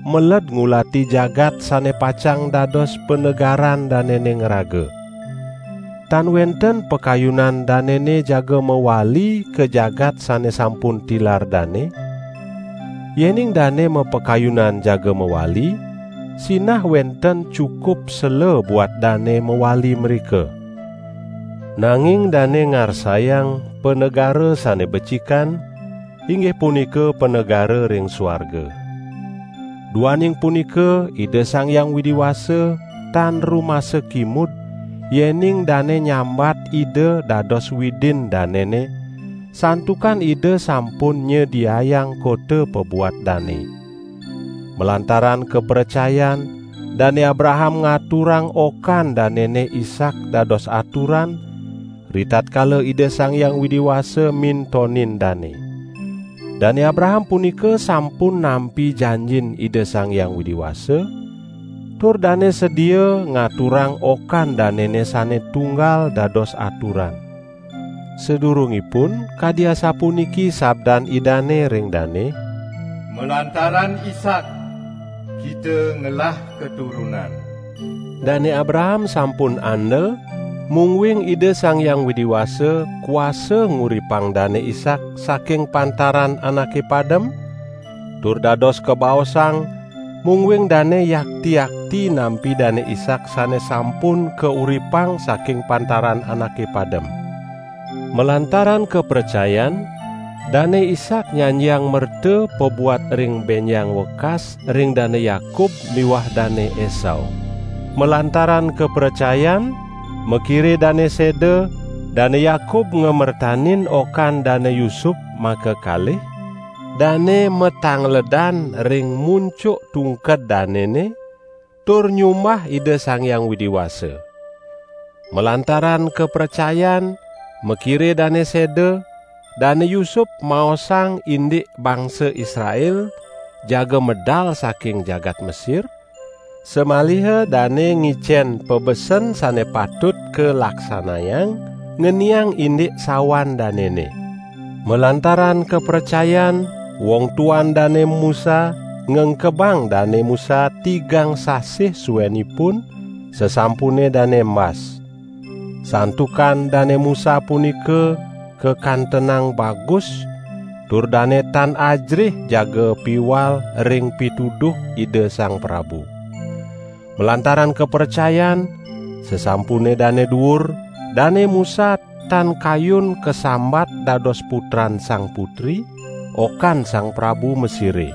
meled ngulati jagat sane pacang dados panegaran danene ngraga. Tan wenten pakayunan danene jaga mawali ka jagat sane sampun tilar dane. Yening dane mapakayunan jaga mawali, sinah wenten cukup sela buat dane mawali mrika. Nanging dane ngarsayang panegara sane becikan, inggih punika panegara ring suarga. Duaning punika, Ida Sang Hyang Widi Wasa tan rumasa kimud, yening dane nyambat Ida dados Widin danene, santukan Ida sampun nyediayang kota pabuat dane. Malantaran kapracayan, Dane Abraham ngaturang okan danene Ishak dados aturan, ritatkala Ida Sang Hyang Widi Wasa mintonin dane. Dane Abraham punika sampun nampi janjin Ida Sang Hyang Widi Wasa, tur dane sedia ngaturang okan danene sane tunggal dados aturan. Sadurungipun, kadi asapuniki sabdan Idane ring dane, "Malantaran Ishak, kita ngelah keturunan." Dane Abraham sampun andel, mungguing Ida Sang Hyang Widi Wasa kuasa nguripang Dane Ishak saking pantaran anake padem, tur dados kabaosang, mungguing dane yakti-yakti nampi Dane Ishak sane sampun kauripang saking pantaran anake padem. Malantaran kapracayan, Dane Ishak nyanjiang merta pabuat ring benjang wekas ring Dane Yakub miwah Dane Esau. Malantaran kapracayan, makire dane seda, Dane Yakub ngamertanin okan Dane Yusup makakalih, dane matangledan ring muncuk tungked danene, tur nyumbah Ida Sang Hyang Widi Wasa. Malantaran kapracayan, makire dane seda, Dane Yusup maosang indik bangsa Israel jaga medal saking jagat Mesir, samaliha dane ngicen pabesen sane patut kalaksanayang ngeniang indik sawan danene. Malantaran kapracayan, wong tuan Dane Musa ngengkebang Dane Musa tigang sasih suenipun, sasampune dane embas. Santukan Dane Musa punika kakantenang bagus, tur dane tan ajrih jaga piwal ring pituduh Ida Sang Prabu. Malantaran kapracayan, sasampune dane duur, Dane Musa tan kayun kasambat dados putran Sang Putri, okan Sang Prabu Mesire.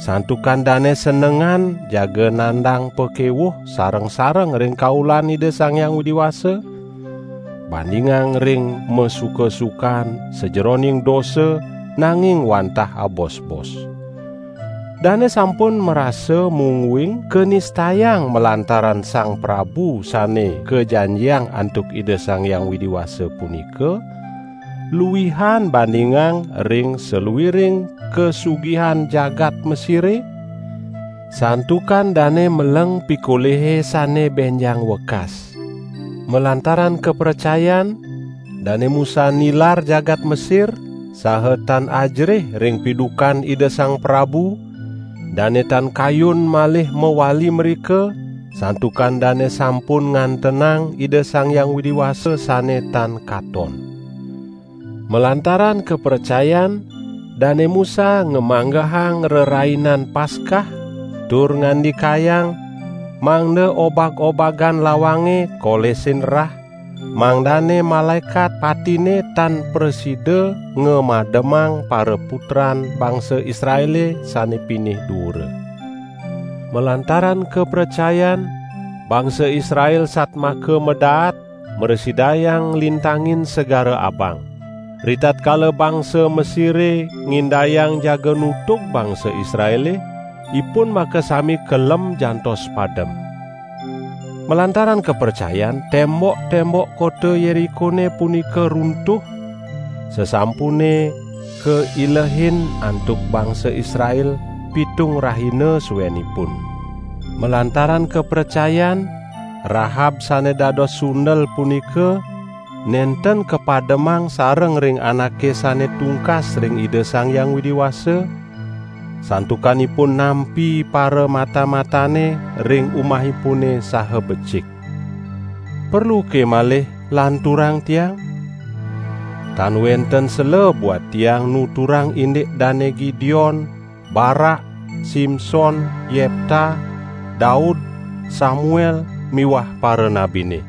Santukan dane senengan jaga nandang pakewuh sareng-sareng ring kaulan Ida Sang Hyang Widi Wasa, bandingang ring masuka-sukan sajeroning dosa, nanging wantah abosbos. Dane sampun marasa mungguing kanistayang malantaran Sang Prabu sane kajanjiang antuk Ida Sang Hyang Widi Wasa punika, luihan bandingang ring saluiring kasugihan jagat Mesire, santukan dane meleng pikolihe sane benjang wekas. Malantaran kapracayan, Dane Musa nilar jagat Mesir, saha tan ajerih ring pidukan Ida Sang Prabu, dane tan kayun malih mawali mrika, santukan dane sampun ngantenang Ida Sang Hyang Widi Wasa sane tan katon. Malantaran kapracayan, Dane Musa ngamanggehang Rerainan Paskah, tur ngandikayang, mangda obag-obagan lawange kolesin rah, mangdane malaekat patine tan prasida ngamademang paraputran bangsa Israele sane pinih duura. Malantaran kapracayan, bangsa Israel satmaka madaat mrasidayang lintangin Segara Abang. Ritatkala bangsa Mesire ngindayang jaga nutug bangsa Israele, ipun makasami kelem jantos padem. Malantaran kapracayan, tembok-tembok kota Yerikone punika runtuh, sasampune kailehin antuk bangsa Israel pitung rahina suenipun. Malantaran kapracayan, Rahab sane dados sundel punika nenten kapademang sareng ring anake sane tungkas ring Ida Sang Hyang Widi Wasa, santukan ipun nampi paramata-matane ring umahipune saha becik. Perluke malih lanturang tiang? Tan wenten sela buat tiang nuturang indik Dane Gideon, Barak, Simson, Yepta, Daud, Samuel, miwah paranabine.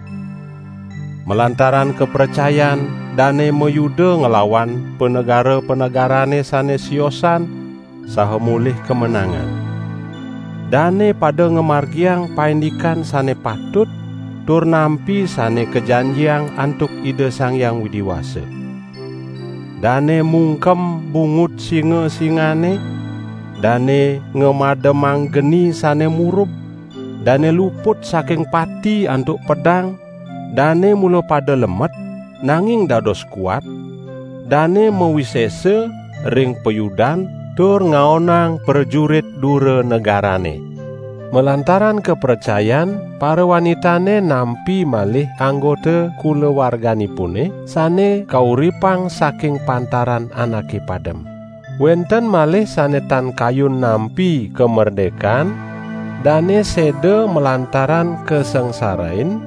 Malantaran kapracayan, dane mayuda nglawan panegara-panegarane sane siosan, saha molih kamenangan. Dane pada ngamargiang paindikan sane patut, tur nampi sane kajanjiang antuk Ida Sang Hyang Widi Wasa. Dane mungkem bungut singa-singane, dane ngamademang geni sane murub, dane luput saking pati antuk pedang, dane mula pada lemet, nanging dados kuat, dane mawisesa ring payudan tur ngaonang prajurit dura negarane. Malantaran kapracayan, parawanitane nampi malih anggota kulawarganipune sane kauripang saking pantaran anake padem. Wenten malih sane tan kayun nampi kamerdekan, dane seda malantaran kasangsarain,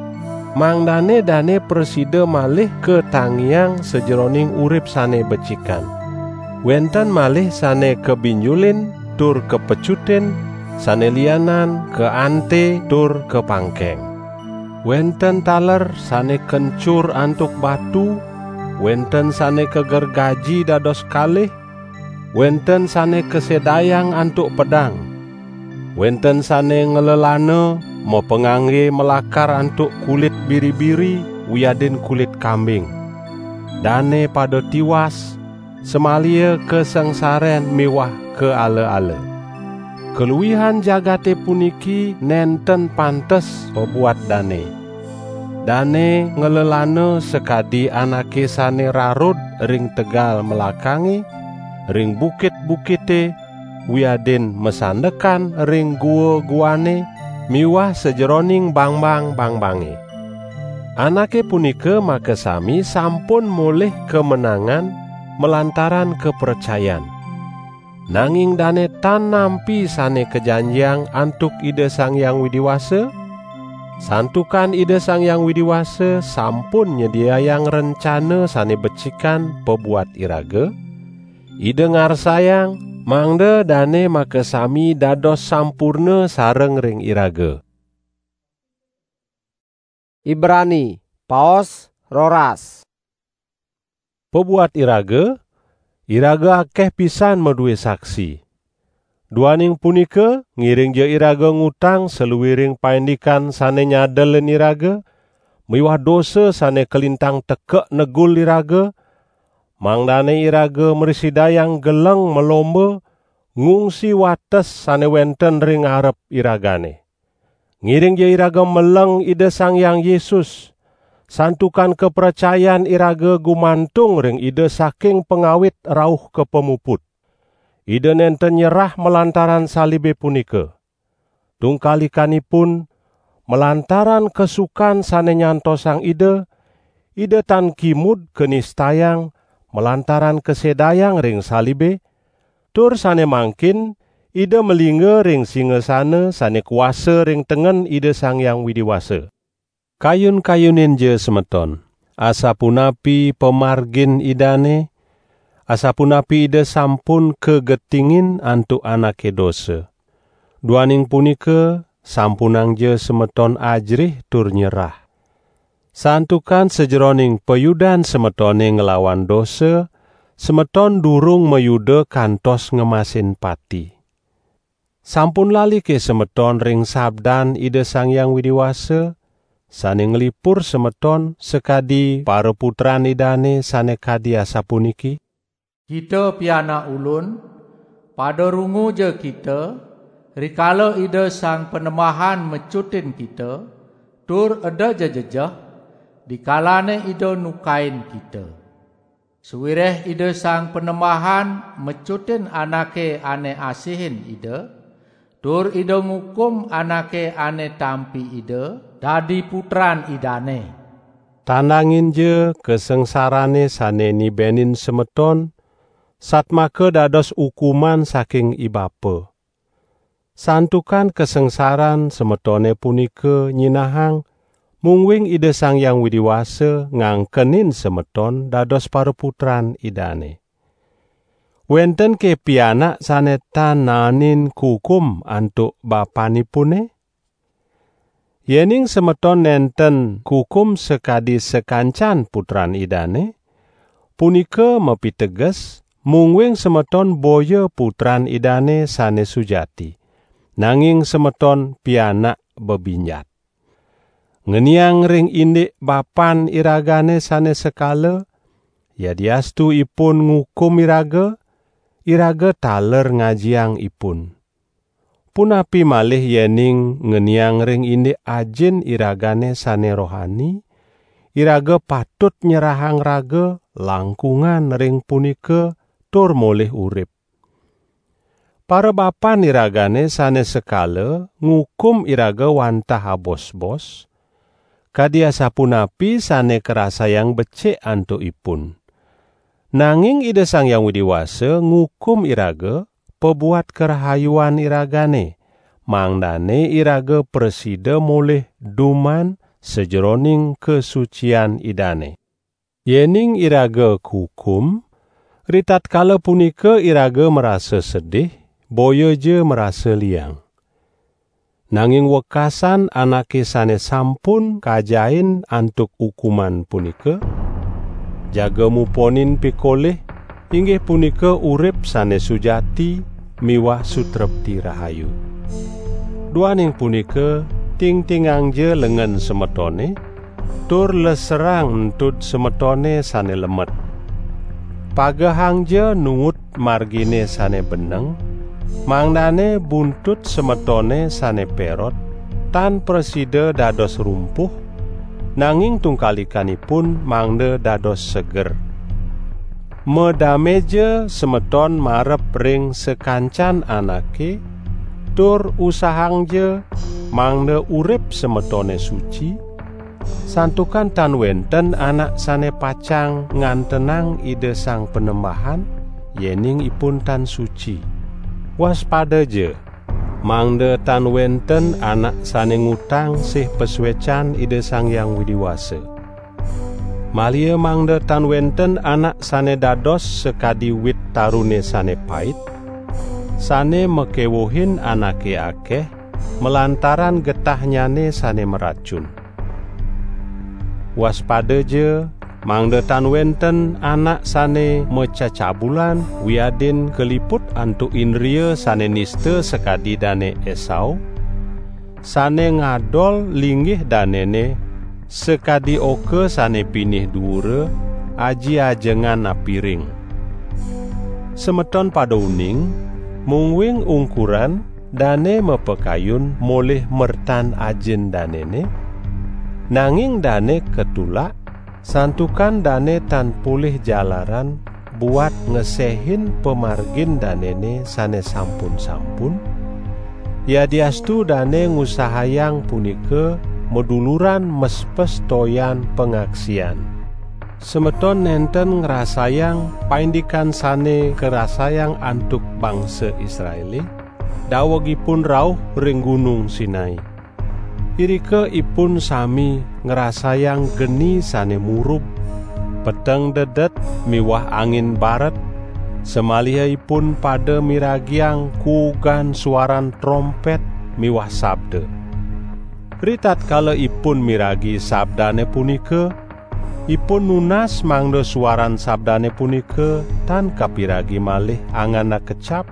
mangdane dane prasida malih katangiang sajeroning urip sane becikan. Wenten malih sane kabinjulin tur kapecutin, sane lianan kaante tur kapangkeng. Wenten taler sane kencur antuk batu, wenten sane kagergaji dados kalih, wenten sane kasedayang antuk pedang, wenten sane nglelana mapangangge malakar antuk kulit biri-biri wiadin kulit kambing. Dane pada tiwas, samalia kasangsaren miwah kaala-ala. Kaluihan jagate puniki nenten pantes pabuat dane. Dane nglelana sakadi anake sane rarud ring tegal melakange, ring bukit-bukite, wiadin masandekan ring gua-guane miwah sajeroning bangbang-bangbange. Anake punika makasami sampun molih kamenangan malantaran kapracayan. Nanging dane tan nampi sane kajanjiang antuk Ida Sang Hyang Widi Wasa, santukan Ida Sang Hyang Widi Wasa sampun nyediayang rencana sane becikan pabuat iraga, Ida ngarsayang mangda dane makasami dados sampurna sareng ring iraga. Ibrani, paos roras. Pabuat iraga, iraga akeh pisan madue saksi. Duaning punika, ngiringja iraga ngutang saluiring paindikan sane nyadelin iraga, miwah dosa sane kalintang tekek negul iraga, mangdane iraga mrasidayang geleng malomba ngungsi wates sane wenten ring arep iragane. Ngiringja iraga meleng Ida Sang Hyang Yesus, santukan kapracayan iraga gumantung ring Ida saking pangawit rauh ka pamuput. Ida nenten nyerah malantaran salibe punika. Tungkalikanipun, malantaran kasukan sane nyantosang Ida, Ida tan kimud kanistayang palantaran kasedayang ring salibe, tur sane mangkin Ida malingga ring singasana sane kuasa ring tengen Ida Sang Hyang Widi Wasa. Kayun-kayuninja semeton, asapunapi pamargin Idane, asapunapi Ida sampun kagetingin antuk anake dosa. Duaning punika, sampunangja semeton ajerih tur nyerah. Santukan sajeroning payudan semetone nglawan dosa, semeton durung mayuda kantos ngemasin pati. Sampun lalike semeton ring sabdan Ida Sang Hyang Widi Wasa, sane nglipur semeton sakadi paraputran Idane sane kadi asapuniki: "Kita pianak Ulun, pada runguja kita, rikala Ida Sang Panembahan mecutin kita, tur eda ja jejeh, dikalane Ida nukain kita. Sawireh Ida Sang Panembahan mecutin anake ane asihin Ida, tur Ida ngukum anake ane tampi Ida dadi putran Idane." Tandanginja kasangsarane sane nibenin semeton, satmaka dados ukuman saking ibapa. Santukan kasangsaran semetone punika nyinahang, mungguing Ida Sang Hyang Widi Wasa ngangkenin semeton dados paraputran Idane. Wentenke pianak sane tan naenin kukum antuk bapanipune? Yening semeton nenten kukum sakadi sakancan putran Idane, punika mapiteges, mungguing semeton boya putran Idane sane sujati, nanging semeton pianak bebinjat. Ngeniang ring indik bapan iragane sane sekala, yadiastu ipun ngukum iraga, iraga taler ngajiang ipun. Punapi malih yening ngeniang ring indik ajin iragane sane rohani, iraga patut nyerahang raga langkungan ring punika tur molih urip. Parabapan iragane sane sekala ngukum iraga wantah abos-bos, kadi asapunapi sane karasayang becik antuk ipun. Nanging Ida Sang Hyang Widi Wasa ngukum iraga pabuat karahayuan iragane, mangdane iraga prasida molih duman sajeroning kasucian Idane. Yening iraga kukum, ritatkala punika iraga marasa sedih, boyaja marasa liang. Nanging wekasan anake sane sampun kajain antuk ukuman punika, jaga muponin pikolih, inggih punika urip sane sujati miwah sutrepti rahayu. Duaning punika, tingtingangja lengen semetone, tur leserang entud semetone sane lemet. Pagehangja nuut margine sane beneng, mangdane buntut semetone sane perot tan prasida dados rumpuh, nanging tungkalikanipun mangda dados seger. Madameja semeton marep ring sakancan anake, tur usahangja mangda urip semetone suci, santukan tan wenten anak sane pacang ngantenang Ida Sang Panembahan, yening ipun tan suci. Waspadaja, mangda tan wenten anak sane ngutang sih pasuecan Ida Sang Hyang Widi Wasa. Malia mangda tan wenten anak sane dados sakadi wit tarune sane pait, sane makewuhin anake akeh malantaran getahnyane sane maracun. Waspadaja, mangda tan wenten anak sane macacabulan wiadin kaliput antuk indria sane nista sakadi Dane Esau, sane ngadol linggih danene sakadi oka sane pinih duura, aji-ajengan apiring. Semeton pada uning, mungguing ungkuran dane mapakayun molih mertan ajin danene, nanging dane katulak, santukan dane tan polih jalaran buat ngesehin pamargin danene sane sampun-sampun, yadiastu dane ngusahayang punika maduluran mespes toyan pangaksian. Semeton nenten ngrasayang paindikan sane karasayang antuk bangsa Israele, daweg ipun rauh ring Gunung Sinai. Irika ipun sami ngrasayang geni sane murub, peteng dedet miwah angin baret, samaliha ipun pada miragiang kuugan suaran trompet miwah sabda. Ritatkala ipun miragi sabdane punika, ipun nunas mangda suaran sabdane punika tan kapiragi malih anganak kecap,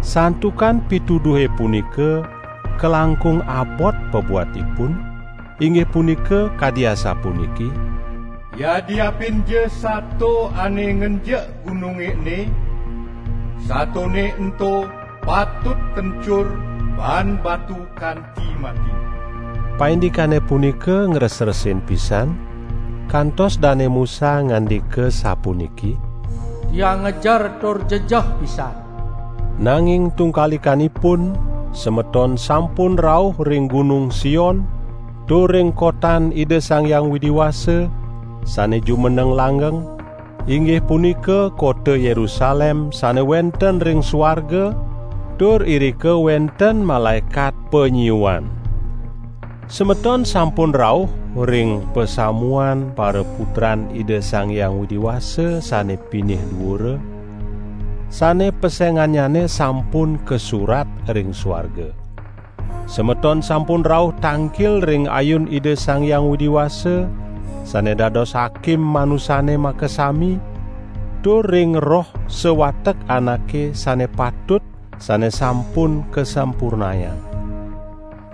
santukan pituduhe punika kalangkung abot pabuat ipun, inggih punika kadi asapuniki: Yadiapin ja sato ane ngenjek gununge ene, satone ento patut kencur baan batu kanti mati. Paindikane punika ngresresin pisan, kantos Dane Musa ngandika sapuniki: "Tiang ngejer tur jejeh pisan." Nanging tungkalikanipun, semeton sampun rauh ring Gunung Sion, tur ring kotan Ida Sang Hyang Widi Wasa, sane jumeneng langgeng, inggih punika kota Yerusalem sane wenten ring suarga, tur irika wenten malaekat panyiuan. Semeton sampun rauh ring pasamuan paraputran Ida Sang Hyang Widi Wasa sane pinih duura, sane pesengannyane sampun kasurat ring suarga. Semeton sampun rauh tangkil ring ayun Ida Sang Hyang Widi Wasa, sane dados hakim manusane makasami, tur ring roh sawatek anake sane patut, sane sampun kasampurnayang.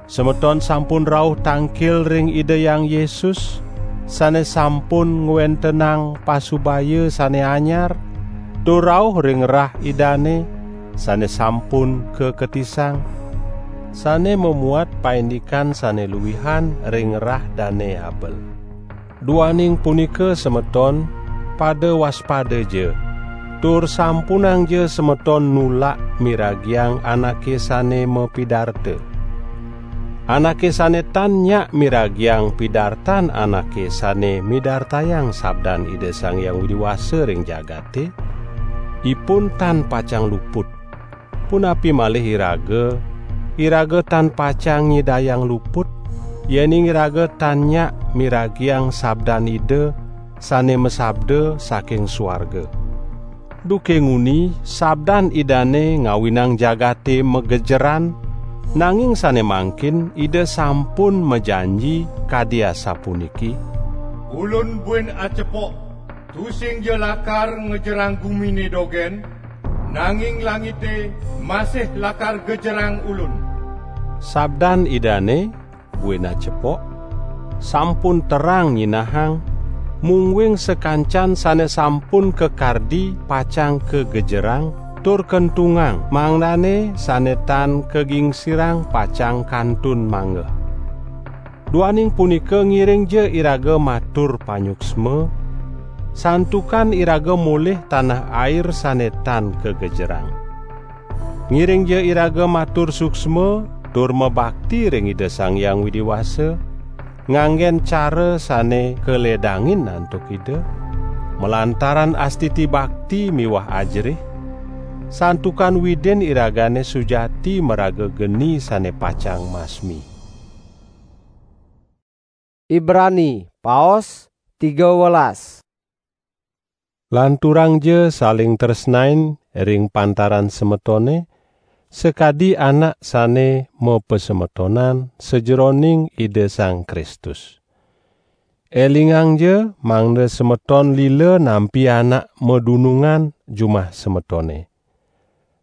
Semeton sampun rauh tangkil ring Ida Hyang Yesus, sane sampun ngwentenang pasubaya sane anyar, tur rauh ring rah Idane, sane sampun kaketisang, sane mamuat paindikan sane luihan ring rah Dane Abel. Duaning punika semeton, pada waspadaja, tur sampunangja semeton nulak miragiang anake sane mapidarta. Anake sane tan nyak miragiang pidartan anake sane midartayang sabdan Ida Sang Hyang Widi Wasa ring jagate, ipun tan pacang luput. Punapi malih iraga, iraga tan pacang nyidayang luput, yening iraga tan nyak miragiang sabdan Ida sane masabda saking suarga. Duke nguni, sabdan Idane ngawinang jagate magejeran, nanging sane mangkin Ida sampun majanji kadi asapuniki: "Ulun buin acepok, tusingja lakar ngejerang gumine dogen, nanging langite masih lakar gejerang Ulun." Sabdan Idane, buin acepok, sampun terang nyinahang, mungguing sakancan sane sampun kakardi pacang kagejerang, tur kentungang, mangdane sane tan kagingsirang pacang kantun manggeh. Duaning punika ngiringja iraga matur panyuksma, santukan iraga molih tanah air sane tan kagejerang. Ngiringja iraga matur suksma tur mabakti ring Ida Sang Hyang Widi Wasa, nganggen cara sane kaledangin antuk Ida, malantaran astiti bakti miwah ajerih, santukan Widin iragane sujati maraga geni sane pacang masmi. Ibrani, paos tiga welas. Lanturangja saling tresnain ring pantaran semetone, sakadi anak sane mapasemetonan sajeroning Ida Sang Kristus. Elingangja mangda semeton lila nampi anak madunungan jumah semetone.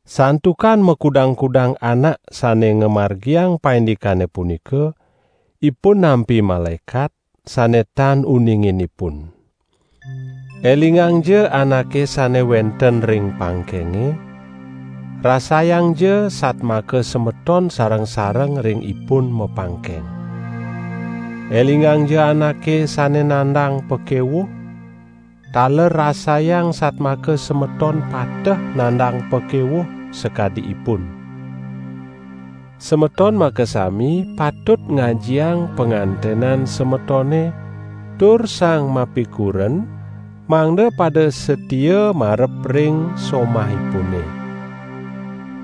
Santukan makudang-kudang anak sane ngamargiang paindikane punika, ipun nampi malaekat sane tan uningin ipun. Elingangja anake sane wenten ring pangkenge, rasayangja satmaka semeton sareng-sareng ring ipun mapangkeng. Elingangja anake sane nandang pakewuh, taler rasayang satmaka semeton pateh nandang pakewuh sakadi ipun. Semeton makasami patut ngajiang pangantenan semetone, tur sang mapikuren mangda pada satia marep ring somahipune.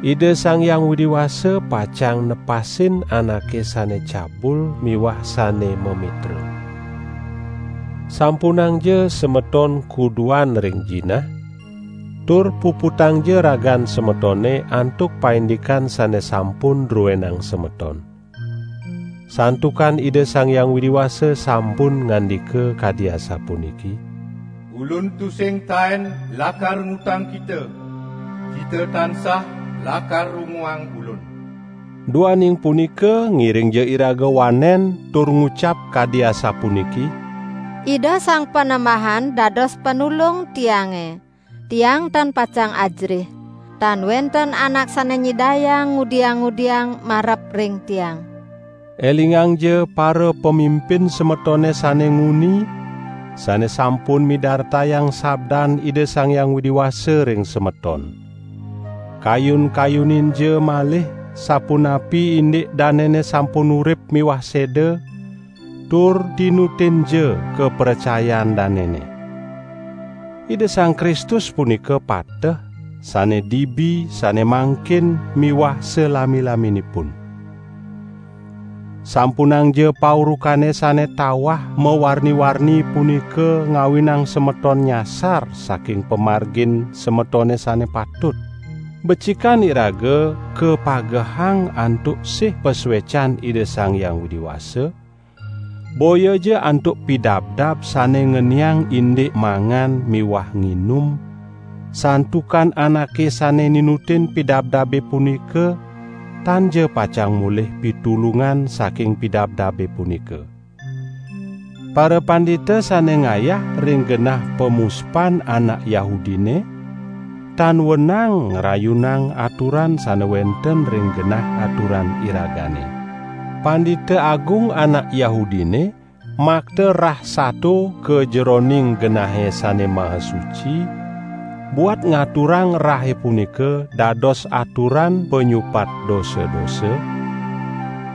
Ida Sang Hyang Widi Wasa pacang nepasin anake sane cabul miwah sane mamitra. Sampunangja semeton kuduan ring jinah, tur puputangja ragan semetone antuk paindikan sane sampun druenang semeton. Santukan Ida Sang Hyang Widi Wasa sampun ngandika kadi asapuniki: "Ulun tusing taen lakar ngutang kita, kita tansah lakar runguang Ulun." Duaning punika, ngiringja iraga wanen tur ngucap kadi asapuniki: "Ida Sang Panembahan dados panulung tiange. Tiang tan pacang ajerih. Tan wenten anak sane nyidayang ngudiang-ngudiang marep ring tiang." Elingangja para pamimpin semetone sane nguni, sane sampun midartayang sabdan Ida Sang Hyang Widi Wasa ring semeton. Kayun-kayuninja malih sapunapi indik danene sampun urip miwah seda, tur tinutinja kapracayan danene. Ida Sang Kristus punika pateh, sane dibi, sane mangkin, miwah salami-laminipun. Sampunangja paurukane sane tawah mawarni-warni punika ngawinang semeton nyasar saking pamargin semetone sane patut. Becikan iraga kapagehang antuk sih pasuecan Ida Sang Hyang Widi Wasa, boyaja antuk pidabdab sane ngeniang indik mangan miwah nginum, santukan anake sane ninutin pidabdabe punika tanja pacang molih pitulungan saking pidabdabe punika. Parapandita sane ngayah ring genah pamuspan anak Yahudine, tan wenang ngrayunang aturan sane wenten ring genah aturan iragane. Pandita Agung anak Yahudine makta rah sato ka jeroning genahe sane maha suci, buat ngaturang rahe punika dados aturan panyupat dosa-dosa,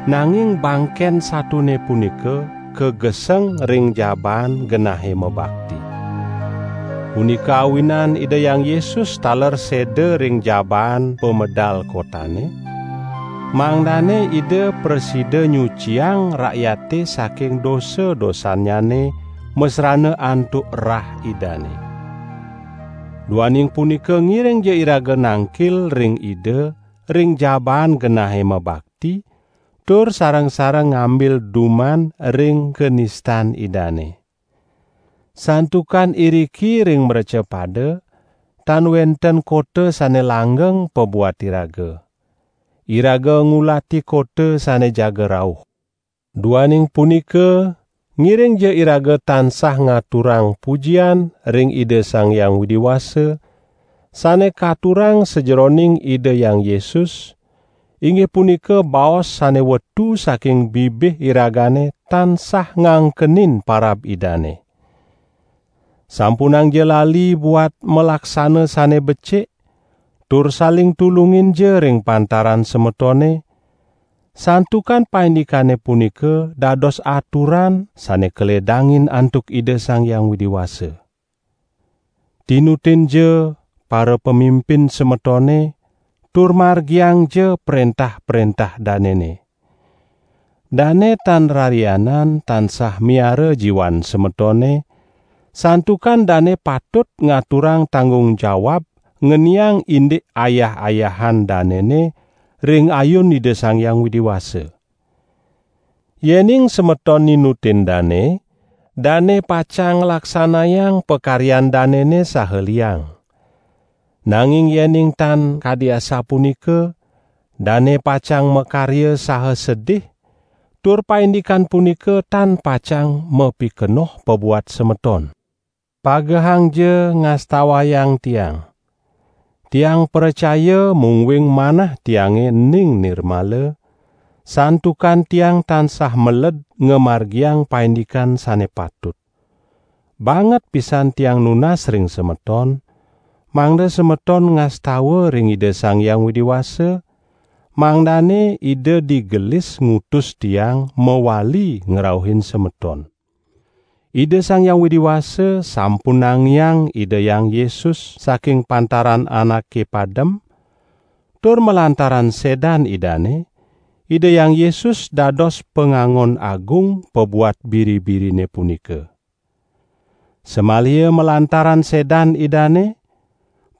nanging bangken satone punika kageseng ring jabaan genahe mabakti. Punika awinan Ida Hyang Yesus taler seda ring jabaan pamedal kotane, mangdane Ida prasida nyuciang rakyate saking dosa-dosannyane masrana antuk rah Idane. Duaning punika, ngiringja iraga nangkil ring Ida ring jabaan genahe mabakti, tur sareng-sareng ngambil duman ring kanistan Idane. Santukan iriki ring mrecapada, tan wenten kota sane langgeng pabuat iraga. Iraga ngulati kota sane jaga rauh. Duaning punika, ngiringja iraga tansah ngaturang pujian ring Ida Sang Hyang Widi Wasa, sane katurang sajeroning Ida Hyang Yesus, inggih punika baos sane wetu saking bibih iragane tansah ngangkenin parab Idane. Sampunangja lali buat malaksana sane becik, tur saling tulunginja ring pantaran semetone, santukan paindikane punika dados aturan sane kaledangin antuk Ida Sang Hyang Widi Wasa. Tinutinja para pamimpin semetone, tur margiangja prentah-prentah danene. Dane tan rarianan tansah miara jiwan semetone, santukan dane patut ngaturang tanggung jawab ngeniang indik ayah-ayahan danene ring ayun Ida Sang Hyang Widi Wasa. Yening semeton ninutin dane, dane pacang nglaksanayang pakaryan danene saha liang. Nanging yening tan kadi asapunika, dane pacang makarya saha sedih, tur paindikan punika tan pacang mapikenoh pabuat semeton. Pagehangja ngastawayang tiang. Tiang pracaya mungguing manah tiange ning nirmala, santukan tiang tansah meled ngamargiang paindikan sane patut. Banget pisan tiang nunas ring semeton, mangda semeton ngastawa ring Ida Sang Hyang Widi Wasa, mangdane Ida digelis ngutus tiang mawali ngrauhin semeton. Ida Sang Hyang Widi Wasa sampun nangiang Ida Hyang Yesus saking pantaran anake padem, tur malantaran sedan Idane, Ida Hyang Yesus dados pangangon agung pabuat biri-birine punika. Samaliha malantaran sedan Idane,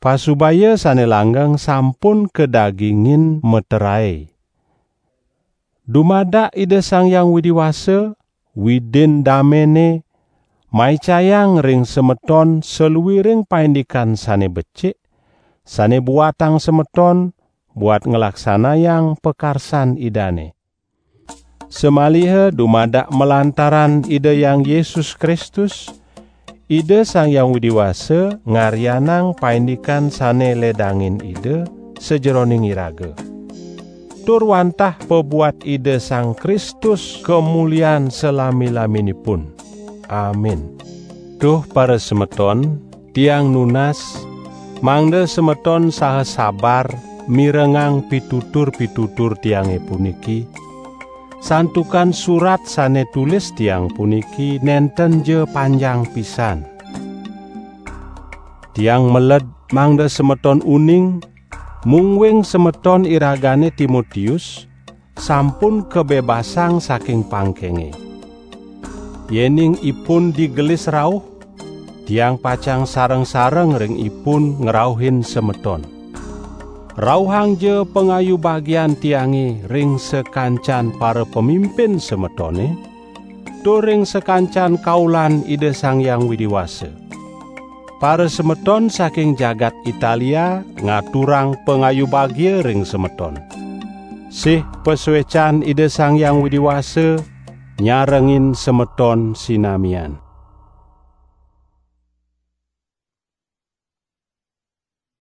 pasubaya sane langgeng sampun kadagingin materae. Dumadak Ida Sang Hyang Widi Wasa, Widin damene, maicayang ring semeton saluiring paindikan sane becik, sane buatang semeton buat nglaksanayang pakarsan Idane. Samaliha dumadak malantaran Ida Hyang Yesus Kristus, Ida Sang Hyang Widi Wasa ngaryanang paindikan sane ledangin Ida sajeroning iraga. Tur wantah pabuat Ida Sang Kristus kamulian salami-laminipun. Amin. Duh parasemeton, tiang nunas, mangda semeton saha sabar mirengang pitutur-pitutur tiange puniki, santukan surat sane tulis tiang puniki nenten ja panjang pisan. Tiang meled mangda semeton uning, mungguing semeton iragane Timotius sampun kabebasang saking pangkenge. Yening ipun digelis rauh, tiang pacang sareng-sareng ring ipun ngrauhin semeton. Rauhangja pangayu bagian tiange ring sakancan para pamimpin semetone, tur ring sakancan kaulan Ida Sang Hyang Widi Wasa. Para semeton saking jagat Italia ngaturang pangayu bagia ring semeton. Sih pasuecan Ida Sang Hyang Widi Wasa nyarengin semeton sinamian.